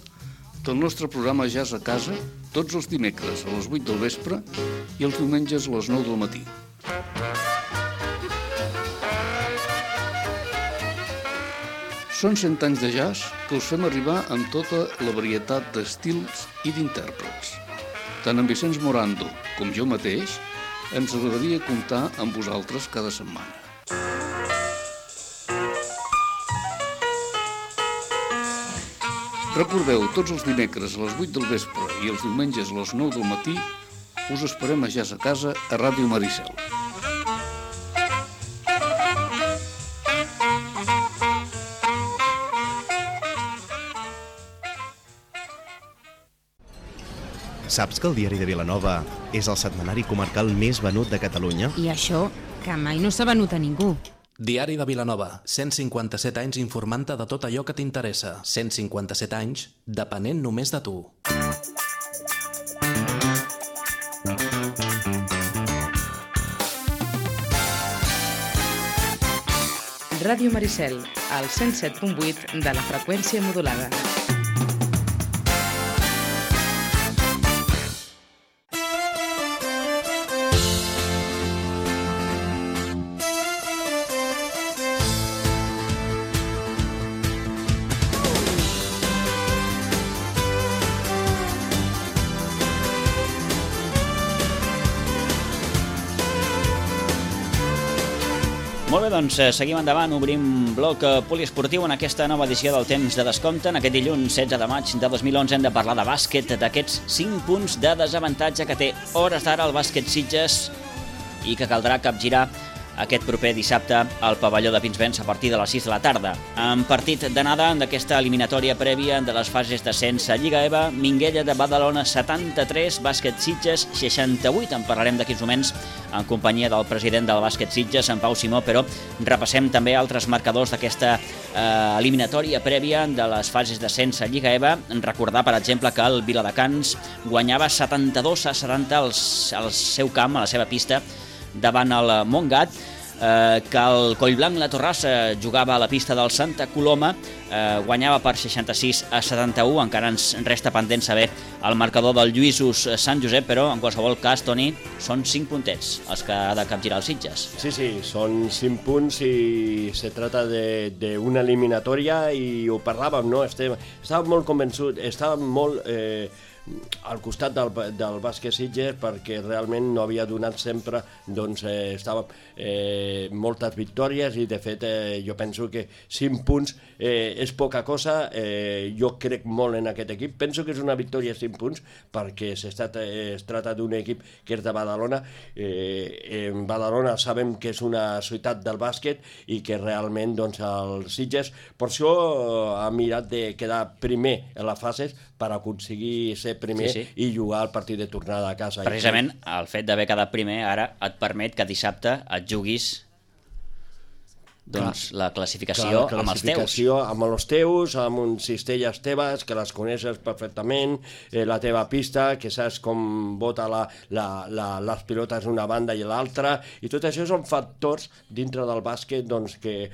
del nostre programa Jazz a Casa tots els dimecres a les 8 del vespre i els diumenges a les 9 del matí. Són 100 anys de jazz que us fem arribar amb tota la varietat d'estils i d'intèrprets. Tant en Vicenç Morando com jo mateix ens agradaria comptar amb vosaltres cada setmana. Recordeu, tots els dimecres a les 8 del vespre i els diumenges a les 9 del matí us esperem a Jazz a Casa a Ràdio Maricel. Saps que el Diari de Vilanova és el setmanari comarcal més venut de Catalunya? I això, que mai no s'ha venut a ningú. Diari de Vilanova, 157 anys informant-te de tot allò que t'interessa. 157 anys, depenent només de tu. Ràdio Maricel, al 107.8 de la freqüència modulada. Molt bé, doncs seguim endavant, obrim bloc poliesportiu en aquesta nova edició del Temps de Descompte. En aquest dilluns 16 de maig de 2011 hem de parlar de bàsquet, d'aquests 5 punts de desavantatge que té hores d'ara el bàsquet Sitges i que caldrà capgirar aquest proper dissabte al pavelló de Pinsbens a partir de les 6 de la tarda. En partit d'anada d'aquesta eliminatòria prèvia de les fases d'ascens a Lliga EVA, Minguella de Badalona 73, bàsquet Sitges 68. En parlarem d'aquí uns moments en companyia del president del bàsquet Sitges, en Pau Simó, però repassem també altres marcadors d'aquesta eliminatòria prèvia de les fases d'ascens a Lliga EVA. Recordar, per exemple, que el Viladecans guanyava 72-70 al seu camp, a la seva pista, davant el Montgat, que el Collblanc La Torrassa jugava a la pista del Santa Coloma, guanyava per 66-71. Encara ens resta pendent saber el marcador del Lluïsos Sant Josep, però en qualsevol cas, Toni, són 5 puntets els que ha de capgirar els Sitges. Sí, són 5 punts i se trata d'una eliminatòria i ho parlàvem, no? Estàvem molt convençuts, estàvem molt al costat del bàsquet Sitges perquè realment no havia donat sempre, doncs estava moltes victòries i de fet jo penso que 5 punts és poca cosa. Jo crec molt en aquest equip, penso que és una victòria 5 punts perquè es tracta d'un equip que és de Badalona. En Badalona sabem que és una ciutat del bàsquet i que realment doncs el Sitges per això ha mirat de quedar primer en les fases per aconseguir ser primer i jugar el partit de tornada a casa. Precisament el fet d'haver quedat primer ara et permet que dissabte et juguis doncs la classificació amb els teus. Amb els teus, amb un cistelles teves, que les coneixes perfectament, la teva pista, que saps com bota les pilotes d'una banda i l'altra, i tot això són factors dintre del bàsquet doncs, que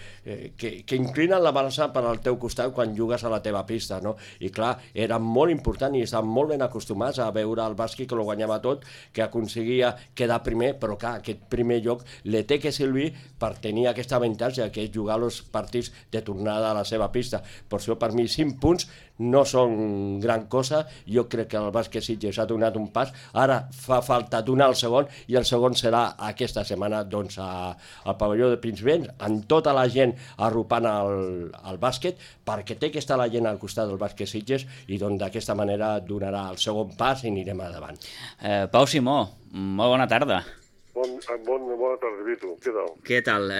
inclinen la balança per al teu costat quan jugues a la teva pista, no? I clar, era molt important i estaven molt ben acostumats a veure el bàsquet que ho guanyava tot, que aconseguia quedar primer, però clar, aquest primer lloc li té que servir per tenir aquest avantatge que és jugar els partits de tornada a la seva pista. Per això, per mi, 5 punts no són gran cosa. Jo crec que el bàsquet Sitges ha donat un pas. Ara fa falta donar el segon, i el segon serà aquesta setmana doncs, al pavelló de Pinsbens, amb tota la gent arropant al bàsquet, perquè té que estar la gent al costat del bàsquet Sitges i doncs, d'aquesta manera donarà el segon pas i anirem endavant. Pau Simó, molt bona tarda. Bona tarda, Vito. Què tal?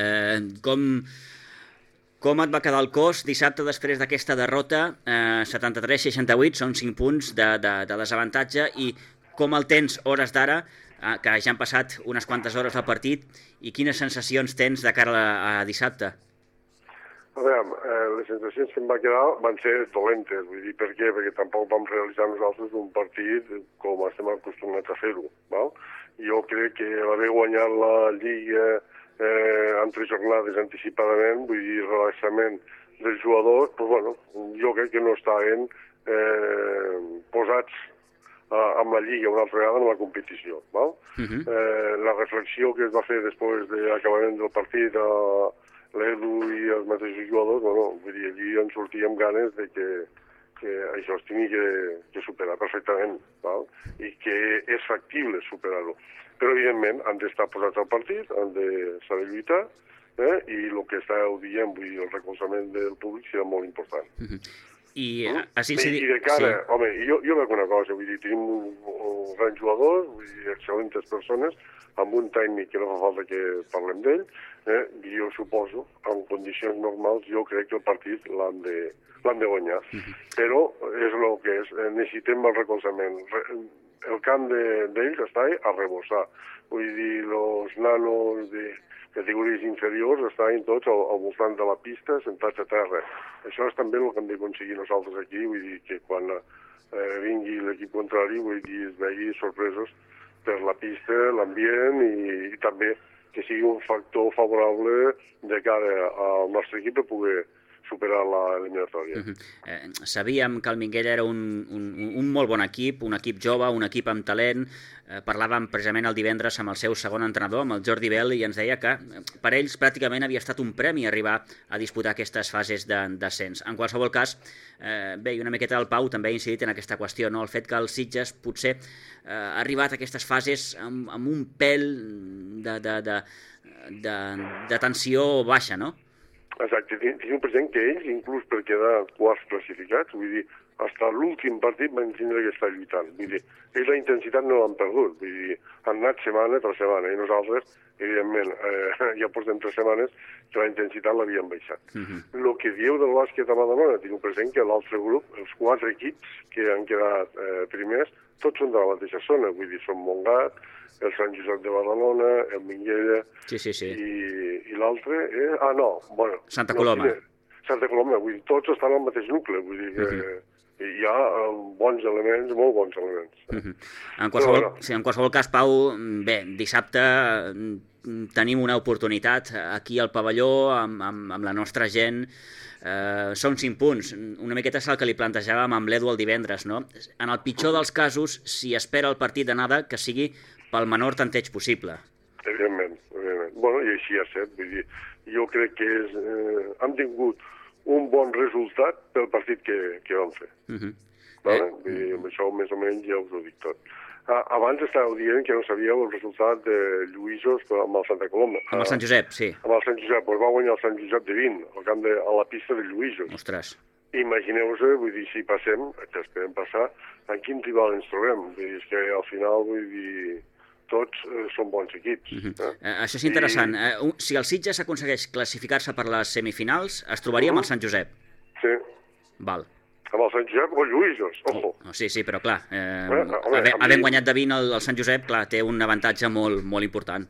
Com et va quedar el cos dissabte després d'aquesta derrota? 73-68, són 5 punts de desavantatge, i com el tens hores d'ara, que ja han passat unes quantes hores del partit, i quines sensacions tens de cara a dissabte? A veure, les sensacions que em va quedar van ser dolentes, vull dir, per què? Perquè tampoc vam realitzar nosaltres un partit com estem acostumats a fer-ho, val? Jo crec que l'haver guanyat la Lliga en 3 jornades anticipadament, vull dir, relaxament dels jugadors, doncs, bueno, jo crec que no estaven posats amb la Lliga una altra vegada en la competició, val? La reflexió que es va fer després de l'acabament del partit a l'Edu i els mateixos jugadors, bueno, vull dir, allí en sortíem ganes de que això es tingui que superar perfectament, val? I que és factible superar-ho. Però, evidentment, han d'estar posats al partit, han de saber lluitar, i el que estàveu dient, vull dir, el recolzament del públic serà molt important. I de cara, home, jo veig una cosa, vull dir, tenim un gran jugador, vull dir, excel·lentes persones, amb un tècnic que no fa falta que parlem d'ell, jo suposo, en condicions normals, jo crec que el partit l'han de guanyar. Però és el que és, necessitem el recolzament. El camp d'ells està a rebossar. Vull dir, els nanos de categories inferiors estaven tots al voltant de la pista, sentats a terra. Això és també el que hem d'aconseguir nosaltres aquí, vull dir que quan vingui l'equip contrari, vull dir, es vegi sorpresos per la pista, l'ambient i també que sigui un factor favorable de cara al nostre equip per poder superar l'eliminatòria. Sabíem que el Minguella era un molt bon equip, un equip jove, un equip amb talent. Parlàvem precisament el divendres amb el seu segon entrenador, amb el Jordi Bell, i ens deia que per ells pràcticament havia estat un premi arribar a disputar aquestes fases d'ascens. En qualsevol cas, bé, i una miqueta el Pau també ha incidit en aquesta qüestió, no? El fet que el Sitges potser ha arribat a aquestes fases amb un pèl de tensió baixa, no? Exacte, tinc present que ells, inclús per quedar quarts classificats, vull dir, fins a l'últim partit van tindre que estar lluitant. Vull dir, ells la intensitat no l'han perdut, vull dir, han anat setmana per setmana, i nosaltres, evidentment, ja portem 3 setmanes que la intensitat l'havien baixat. El que dieu del bàsquet a Badalona, tinc present que l'altre grup, els 4 equips que han quedat primers, tots són de la mateixa zona, vull dir, són Montgat, el Sant Josep de Badalona, el Minguella, i l'altre és... Santa Coloma. Santa Coloma, vull dir, tots estan al mateix nucli, vull dir que hi ha bons elements, molt bons elements. En qualsevol cas, Pau, bé, dissabte tenim una oportunitat aquí al pavelló amb la nostra gent. Són 5 punts, una miqueta és el que li plantejàvem amb l'Edu el divendres, no? En el pitjor dels casos, si espera el partit d'anada, que sigui pel menor tanteig possible. Evidentment. Bueno, i així ha estat, vull dir, jo crec que hem tingut un bon resultat pel partit que vam fer. Vull dir, amb això més o menys ja us ho dic tot. Abans estàveu dient que no sabíeu el resultat de Lluïsos amb el Santa Coloma. Amb el Sant Josep, sí. Amb el Sant Josep, doncs va guanyar el Sant Josep de 20, a la pista de Lluïsos. Ostres. Imagineu-vos, vull dir, si passem, que esperem passar, en quin rival ens trobem. Vull dir, és que al final, vull dir, tots són bons equips. Això és interessant. Si el Sitges aconsegueix classificar-se per les semifinals, es trobaria amb el Sant Josep. Sí. Val. Amb el Sant Josep o Lluïsos, ojo. Sí, però clar, havent guanyat de 20 el Sant Josep, clar, té un avantatge molt important.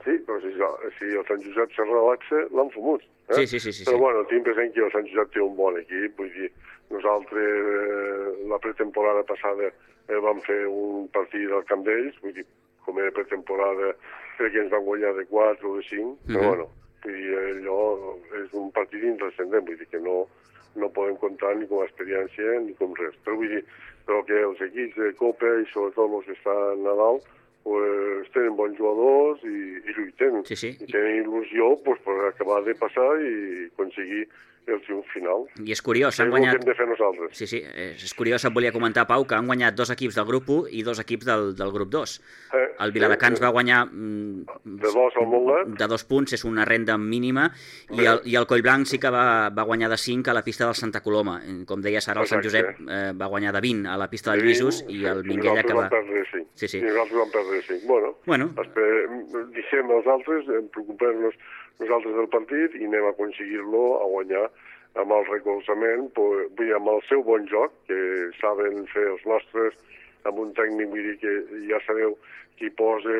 Sí, però si el Sant Josep se relaxa, l'han fumut. Sí. Però bueno, tinc present que el Sant Josep té un bon equip, vull dir, nosaltres la pretemporada passada vam fer un partit al camp d'ells, vull dir, com era pretemporada, crec que ens van guanyar de 4 o de 5, però bueno, vull dir, allò és un partit intrascendent, vull dir que no podem comptar ni com a experiència ni com res. Però vull dir, que els equips de Copa i sobretot els que estan a dalt, pues, tenen bons jugadors i lluiten. I tenen il·lusió pues, per acabar de passar i aconseguir el triomf final. I és curiós, han guanyat... És el que hem de fer nosaltres. Sí, és curiós, et volia comentar, Pau, que han guanyat 2 equips del grup 1 i 2 equips del grup 2. El Viladecans va guanyar de 2 al Montgat. De 2 punts, és una renda mínima, i el Collblanc sí que va guanyar de 5 a la pista del Santa Coloma. Com deies ara, el Sant Josep va guanyar de 20 a la pista del Lluïsos i el Minguella que va... I nosaltres vam perdre 5. Bueno, deixem els altres, preocupem-nos nosaltres del partit i anem a aconseguir-lo, a guanyar amb el recolzament, vull dir, amb el seu bon joc, que saben fer els nostres, amb un tècnic, vull dir que ja sabeu qui posa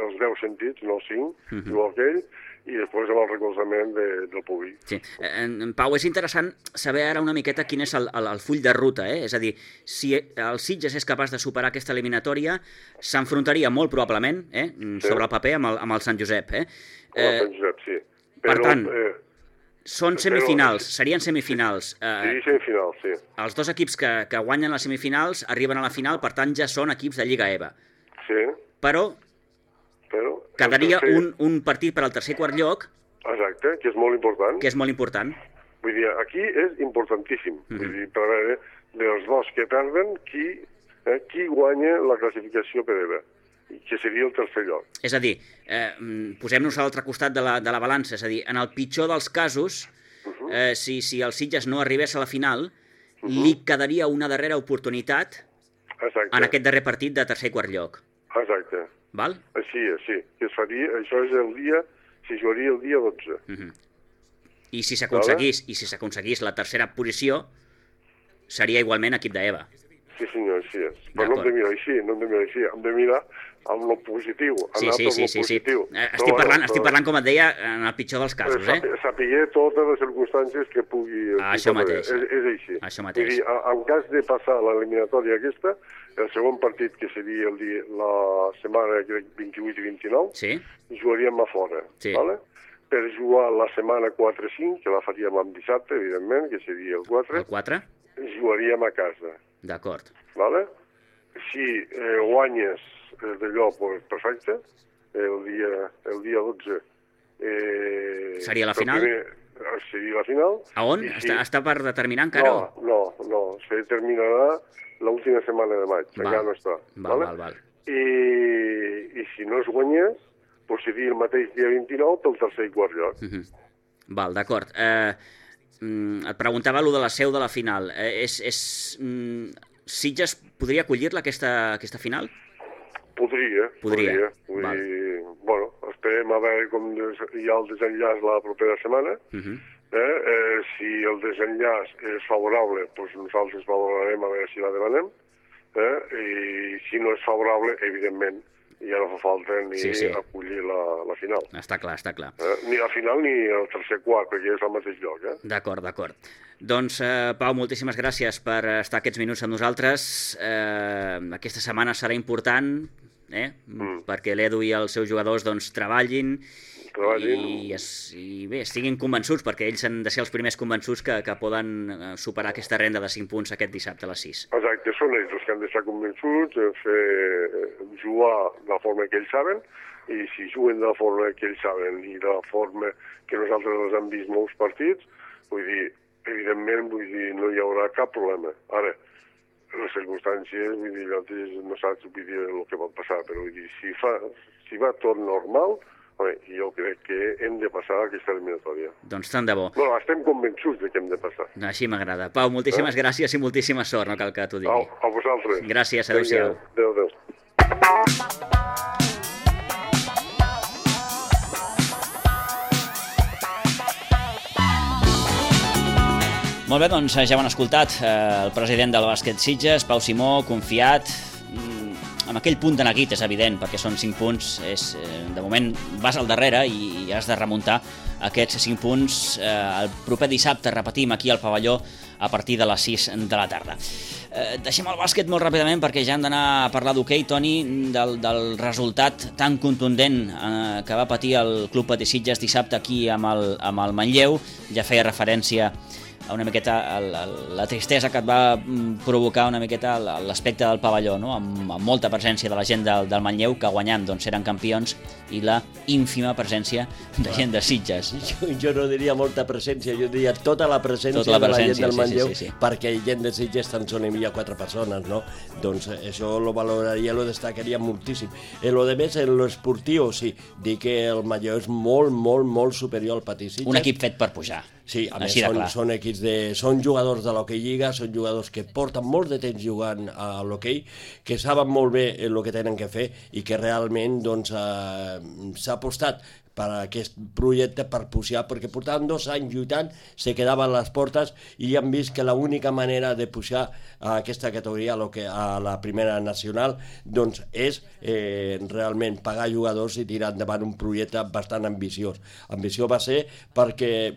els 10 sentits, no els 5, igual que ell, i després amb el recolzament del públic. Sí. Pau, és interessant saber ara una miqueta quin és el full de ruta, És a dir, si el Sitges és capaç de superar aquesta eliminatòria, s'enfrontaria molt probablement, sobre el paper, amb el Sant Josep, Amb el Sant Josep, sí. Per tant, són semifinals, serien semifinals. Sí, semifinals, sí. Els 2 equips que guanyen les semifinals arriben a la final, per tant ja són equips de Lliga EVA. Sí. Però quedaria un partit per al tercer i quart lloc. Exacte, que és molt important. Vull dir, aquí és importantíssim. Vull dir, per veure dels 2 que perden, qui guanya la classificació per EVA, que seria el tercer lloc. És a dir, posem-nos a l'altre costat de la balança, és a dir, en el pitjor dels casos, si el Sitges no arribés a la final, li quedaria una darrera oportunitat en aquest darrer partit de tercer i quart lloc. Exacte. Val? Així és, sí. Això és el dia, si jugaria el dia 12. I si s'aconseguís la tercera posició, seria igualment equip d'EVA. Sí, senyor, així és. Però no hem de mirar així, hem de mirar amb lo positiu. Sí. Estic parlant, com et deia, en el pitjor dels casos, Sapiguer totes les circumstàncies que pugui... Això mateix. És així. Això mateix. Vull dir, en cas de passar l'eliminatòria aquesta, el segon partit, que seria la setmana 28 i 29, jugaríem a fora. Vale? per jugar la setmana 4-5, que la faríem amb dissabte, evidentment, que seria el 4. El 4? Jugaríem a casa. D'acord. Vale? Si guanyes d'allò, pues, perfecte. El dia 12... Seria la final? Seria la final. A on? Està per determinar encara? No. Se determinarà l'última setmana de maig. Encara no està. Val. I si no es guanyés, doncs seria el mateix dia 29 pel tercer i quart lloc. Val, d'acord. Et preguntava allò de la seu de la final. Sitges podria acollir-la, aquesta final? Podria. Bueno, esperem a veure com hi ha el desenllaç la propera setmana. Si el desenllaç és favorable, doncs nosaltres valorarem a veure si la demanem. I si no és favorable, evidentment, ja no fa falta ni acollir la final. Està clar. Ni la final ni el tercer quart, perquè és al mateix lloc. D'acord. Doncs, Pau, moltíssimes gràcies per estar aquests minuts amb nosaltres. Aquesta setmana serà important, perquè l'Edu i els seus jugadors treballin i bé, estiguin convençuts, perquè ells han de ser els primers convençuts que poden superar aquesta renda de 5 punts aquest dissabte a les 6. Exacte, són ells els que han d'estar convençuts de fer jugar de la forma que ells saben, i si juguen de la forma que ells saben i de la forma que nosaltres els hem vist molts partits, vull dir, evidentment, no hi haurà cap problema. Ara, les circumstàncies, vull dir, no saps el que pot passar, però vull dir, si va tot normal, jo crec que hem de passar aquesta eliminatòria. Doncs tant de bo. Bueno, estem convençuts que hem de passar. Així m'agrada. Pau, moltíssimes gràcies i moltíssima sort, no cal que t'ho digui. A vosaltres. Gràcies, adéu-siau. Adéu. Molt bé, doncs ja ho han escoltat. El president del bàsquet Sitges, Pau Simó, confiat, amb aquell punt de neguit, és evident, perquè són 5 punts, de moment vas al darrere i has de remuntar aquests 5 punts el proper dissabte, repetim, aquí al pavelló a partir de les 6 de la tarda. Deixem el bàsquet molt ràpidament perquè ja hem d'anar a parlar d'hoquei, Toni, del resultat tan contundent que va patir el Club Patí Sitges dissabte aquí amb el Manlleu. Ja feia referència a una miqueta la tristesa que et va provocar una miqueta l'aspecte del pavelló, no? Amb molta presència de la gent del Manlleu, que guanyant eren campions, i la ínfima presència de gent de Sitges. Jo no diria molta presència, jo diria tota la presència de la gent del Manlleu, perquè gent de Sitges tan sols hi havia 4 persones, no? Doncs això lo valoraria, lo destacaria moltíssim. Lo de més, en l'esportiu, sí, dir que el Manlleu és molt superior al Patí Sitges. Un equip fet per pujar. Sí, a més són equips són jugadors de l'hoquei lliga, són jugadors que porten molt de temps jugant a l'hoquei, que saben molt bé el que tenen que fer i que realment s'ha apostat per aquest projecte per pujar, perquè portaven 2 anys lluitant, se quedaven a les portes i han vist que l'única manera de pujar a aquesta categoria, a la primera nacional, doncs és realment pagar jugadors i tirar endavant un projecte bastant ambiciós. Ambició va ser perquè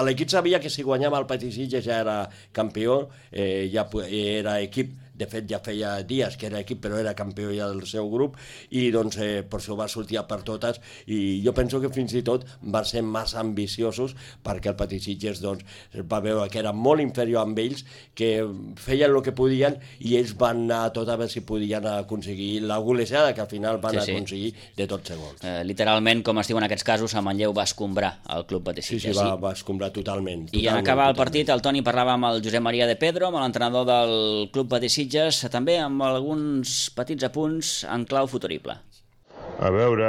l'equip sabia que si guanyava el Patí Sitges ja era campió, ja era equip. De fet, ja feia dies que era equip, però era campió ja del seu grup, i doncs per això va sortir per totes, i jo penso que fins i tot van ser massa ambiciosos, perquè el Patí Sitges va veure que era molt inferior amb ells, que feien el que podien, i ells van anar a tot a veure si podien aconseguir la golejada que al final van aconseguir de tots segons. Literalment, com es diu en aquests casos, el Manlleu va escombrar el Club Patí Sitges. Sí, va escombrar totalment. I en acabar el partit, el Toni parlava amb el Josep Maria de Pedro, amb l'entrenador del Club Patí Sitges, també amb alguns petits apunts en clau futurible. A veure,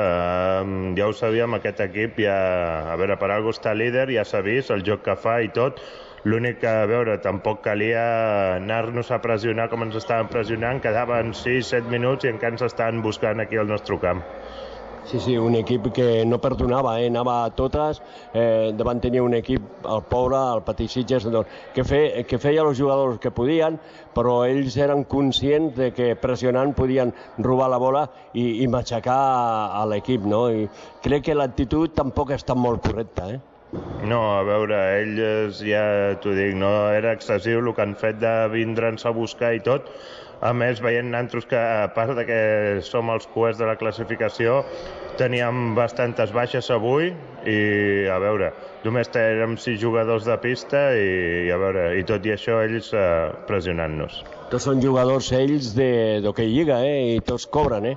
ja ho sabíem, aquest equip, a veure, per algú està líder, ja s'ha vist el joc que fa i tot. L'únic que, a veure, tampoc calia anar-nos a pressionar com ens estaven pressionant, quedaven 6-7 minuts i encara ens estaven buscant aquí al nostre camp. Sí, un equip que no perdonava, anava a totes, van tenir un equip, el pobre, el Patí Sitges, que feia els jugadors que podien, però ells eren conscients de que pressionant podien robar la bola i matxacar a l'equip, no? I crec que l'actitud tampoc ha estat molt correcta, No, a veure, ells, ja t'ho dic, no era excessiu el que han fet de vindre'ns a buscar i tot. A més, veient nantros que, a part de que som els cuers de la classificació, teníem bastantes baixes avui i, a veure, només érem 6 jugadors de pista i a veure, i tot i això ells pressionant-nos. Tots són jugadors ells d'hoquei lliga, i tots cobren,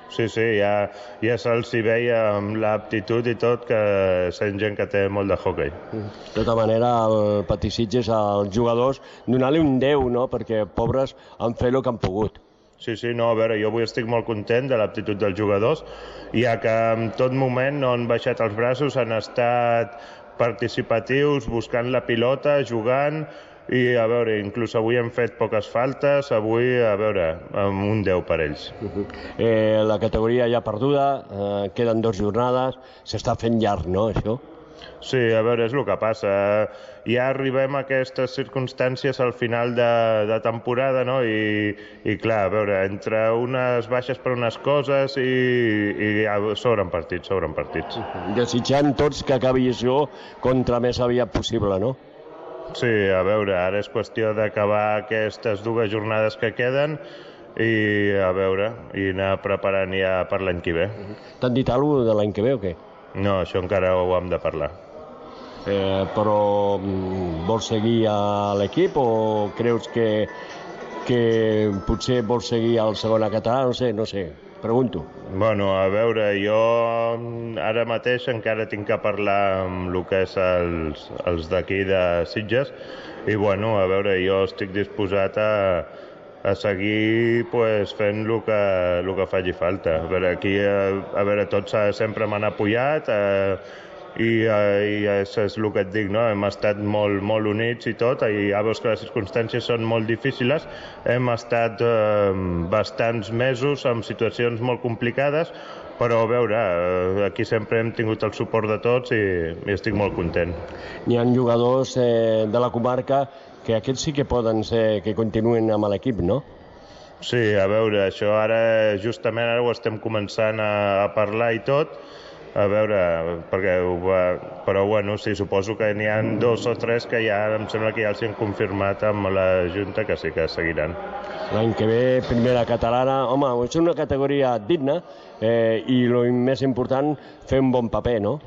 Sí, ja se'ls hi veia amb l'aptitud i tot, que són gent que té molt de hoquei. De tota manera, el Patí Sitges, als jugadors, donar-li un 10, no?, perquè pobres han fet el que han pogut. Sí, no, a veure, jo avui estic molt content de l'aptitud dels jugadors, ja que en tot moment no han baixat els braços, han estat participatius, buscant la pilota, jugant, i a veure, inclús avui hem fet poques faltes, avui, a veure, amb un 10 per ells. La categoria ja perduda, queden 2 jornades, s'està fent llarg, no, això? Sí, a veure, és el que passa. Ja arribem a aquestes circumstàncies al final de temporada, no? I clar, a veure, entre unes baixes per unes coses i sobren partits. Desitjant tots que acabi això contra més aviat possible, no? Sí, a veure, ara és qüestió d'acabar aquestes 2 jornades que queden i a veure, i anar preparant ja per l'any que ve. T'han dit alguna cosa de l'any que ve o què? No, això encara ho hem de parlar. Però vols seguir a l'equip o creus que potser vols seguir al segona català? No sé, pregunto. Bueno, a veure, jo ara mateix encara tinc que parlar amb el que és els d'aquí de Sitges i bueno, a veure, jo estic disposat a seguir fent el que faci falta. A veure, aquí tots sempre m'han apoyat i és el que et dic, no? Hem estat molt units i tot, i ja veus que les circumstàncies són molt difíciles, hem estat bastants mesos en situacions molt complicades, però a veure, aquí sempre hem tingut el suport de tots i estic molt content. N'hi ha jugadors de la comarca que aquests sí que poden ser que continuen amb l'equip, no? Sí, a veure, això ara justament ho estem començant a parlar i tot, a veure, però bueno, sí, suposo que n'hi ha 2 o 3 que ja em sembla que ja els han confirmat amb la Junta que sí que seguiran. L'any que ve, primera catalana, home, és una categoria digna i el més important, fer un bon paper, no?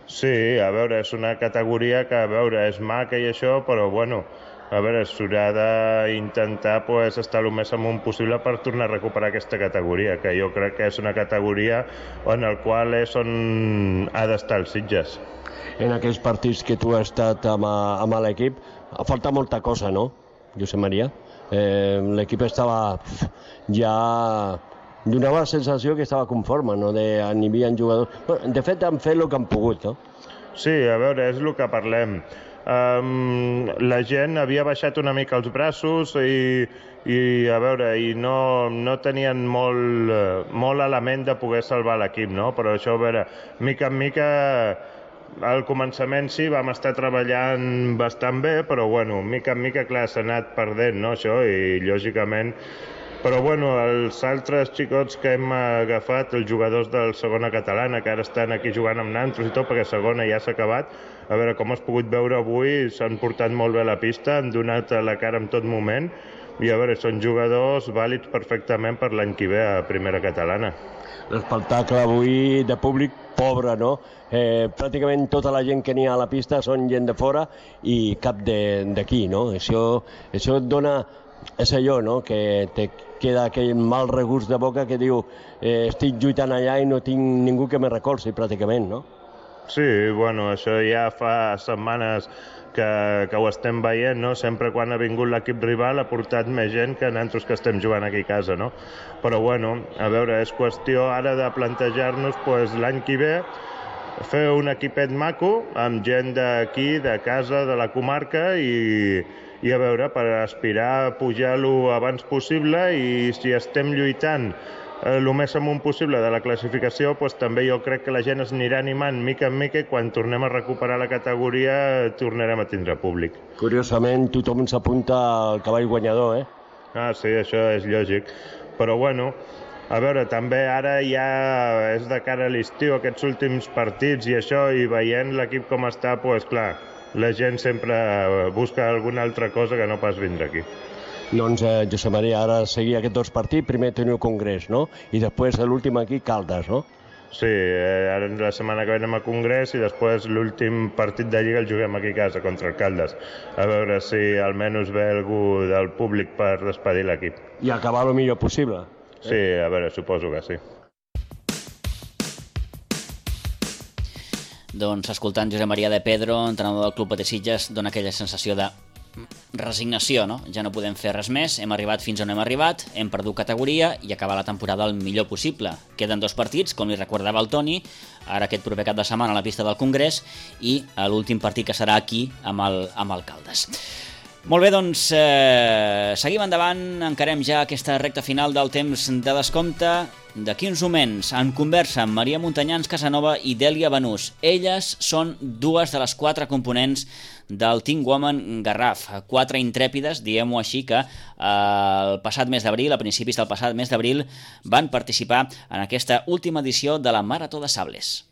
Sí, a veure, és una categoria que, a veure, és maca i això, però bueno, a veure, s'haurà d'intentar estar el més amunt possible per tornar a recuperar aquesta categoria, que jo crec que és una categoria en el qual és on ha d'estar els Sitges. En aquells partits que tu has estat amb l'equip, falta molta cosa, no, Josep Maria? L'equip estava ja... donava la sensació que estava conforme, no? N'hi havia jugadors... De fet, han fet el que han pogut, no? Sí, a veure, és el que parlem. La gent havia baixat una mica els braços i a veure, i no tenien molt element de poder salvar l'equip, no? Però això, a veure, mica en mica, al començament sí, vam estar treballant bastant bé, però bueno, mica en mica, clar, s'ha anat perdent, no, això, i lògicament... Però bueno, els altres xicots que hem agafat, els jugadors del segona catalana, que ara estan aquí jugant amb nantros i tot, perquè segona ja s'ha acabat, a veure, com has pogut veure avui, s'han portat molt bé a la pista, han donat la cara en tot moment, i a veure, són jugadors vàlids perfectament per l'any que ve a primera catalana. L'espectacle avui de públic pobre, no? Pràcticament tota la gent que n'hi ha a la pista són gent de fora i cap d'aquí, no? Això et dona... És allò, no?, que te queda aquell mal regust de boca que diu estic lluitant allà i no tinc ningú que me recolzi, pràcticament, no? Sí, bueno, això ja fa setmanes que ho estem veient, no? Sempre quan ha vingut l'equip rival ha portat més gent que nosaltres que estem jugant aquí a casa, no? Però bueno, a veure, és qüestió ara de plantejar-nos l'any que ve fer un equipet maco amb gent d'aquí, de casa, de la comarca i a veure, per aspirar a pujar-lo abans possible i si estem lluitant el més amunt possible de la classificació, també jo crec que la gent es anirà animant mica en mica i quan tornem a recuperar la categoria tornarem a tindre públic. Curiosament, tothom s'apunta al cavall guanyador, eh? Ah, sí, això és lògic. Però bueno, a veure, també ara ja és de cara a l'estiu, aquests últims partits i això, i veient l'equip com està, doncs clar, la gent sempre busca alguna altra cosa que no pas vindre aquí. Doncs, Josep Maria, ara seguir aquests 2 partits, primer teniu Congrés, no? I després l'últim aquí, Caldes, no? Sí, ara la setmana que ve anem a Congrés i després l'últim partit de Lliga el juguem aquí a casa contra el Caldes. A veure si almenys ve algú del públic per despedir l'equip. I acabar el millor possible. Sí, a veure, suposo que sí. Doncs escoltant Josep Maria de Pedro, entrenador del Club Patí Sitges, dona aquella sensació de resignació, no? Ja no podem fer res més, hem arribat fins on hem arribat, hem perdut categoria i acabar la temporada el millor possible. Queden 2 partits, com li recordava el Toni, ara aquest proper cap de setmana a la pista del Congrés i l'últim partit que serà aquí amb el Caldes. Molt bé, doncs seguim endavant, encarem ja aquesta recta final del temps de descompte. D'aquí uns moments, en conversa amb Maria Montanyans Casanova i Dèlia Banús. Elles són 2 de les 4 components del Team Woman Garraf. 4 intrèpides, diguem-ho així, que el passat mes d'abril, a principis del passat mes d'abril, van participar en aquesta última edició de la Marató de Sables.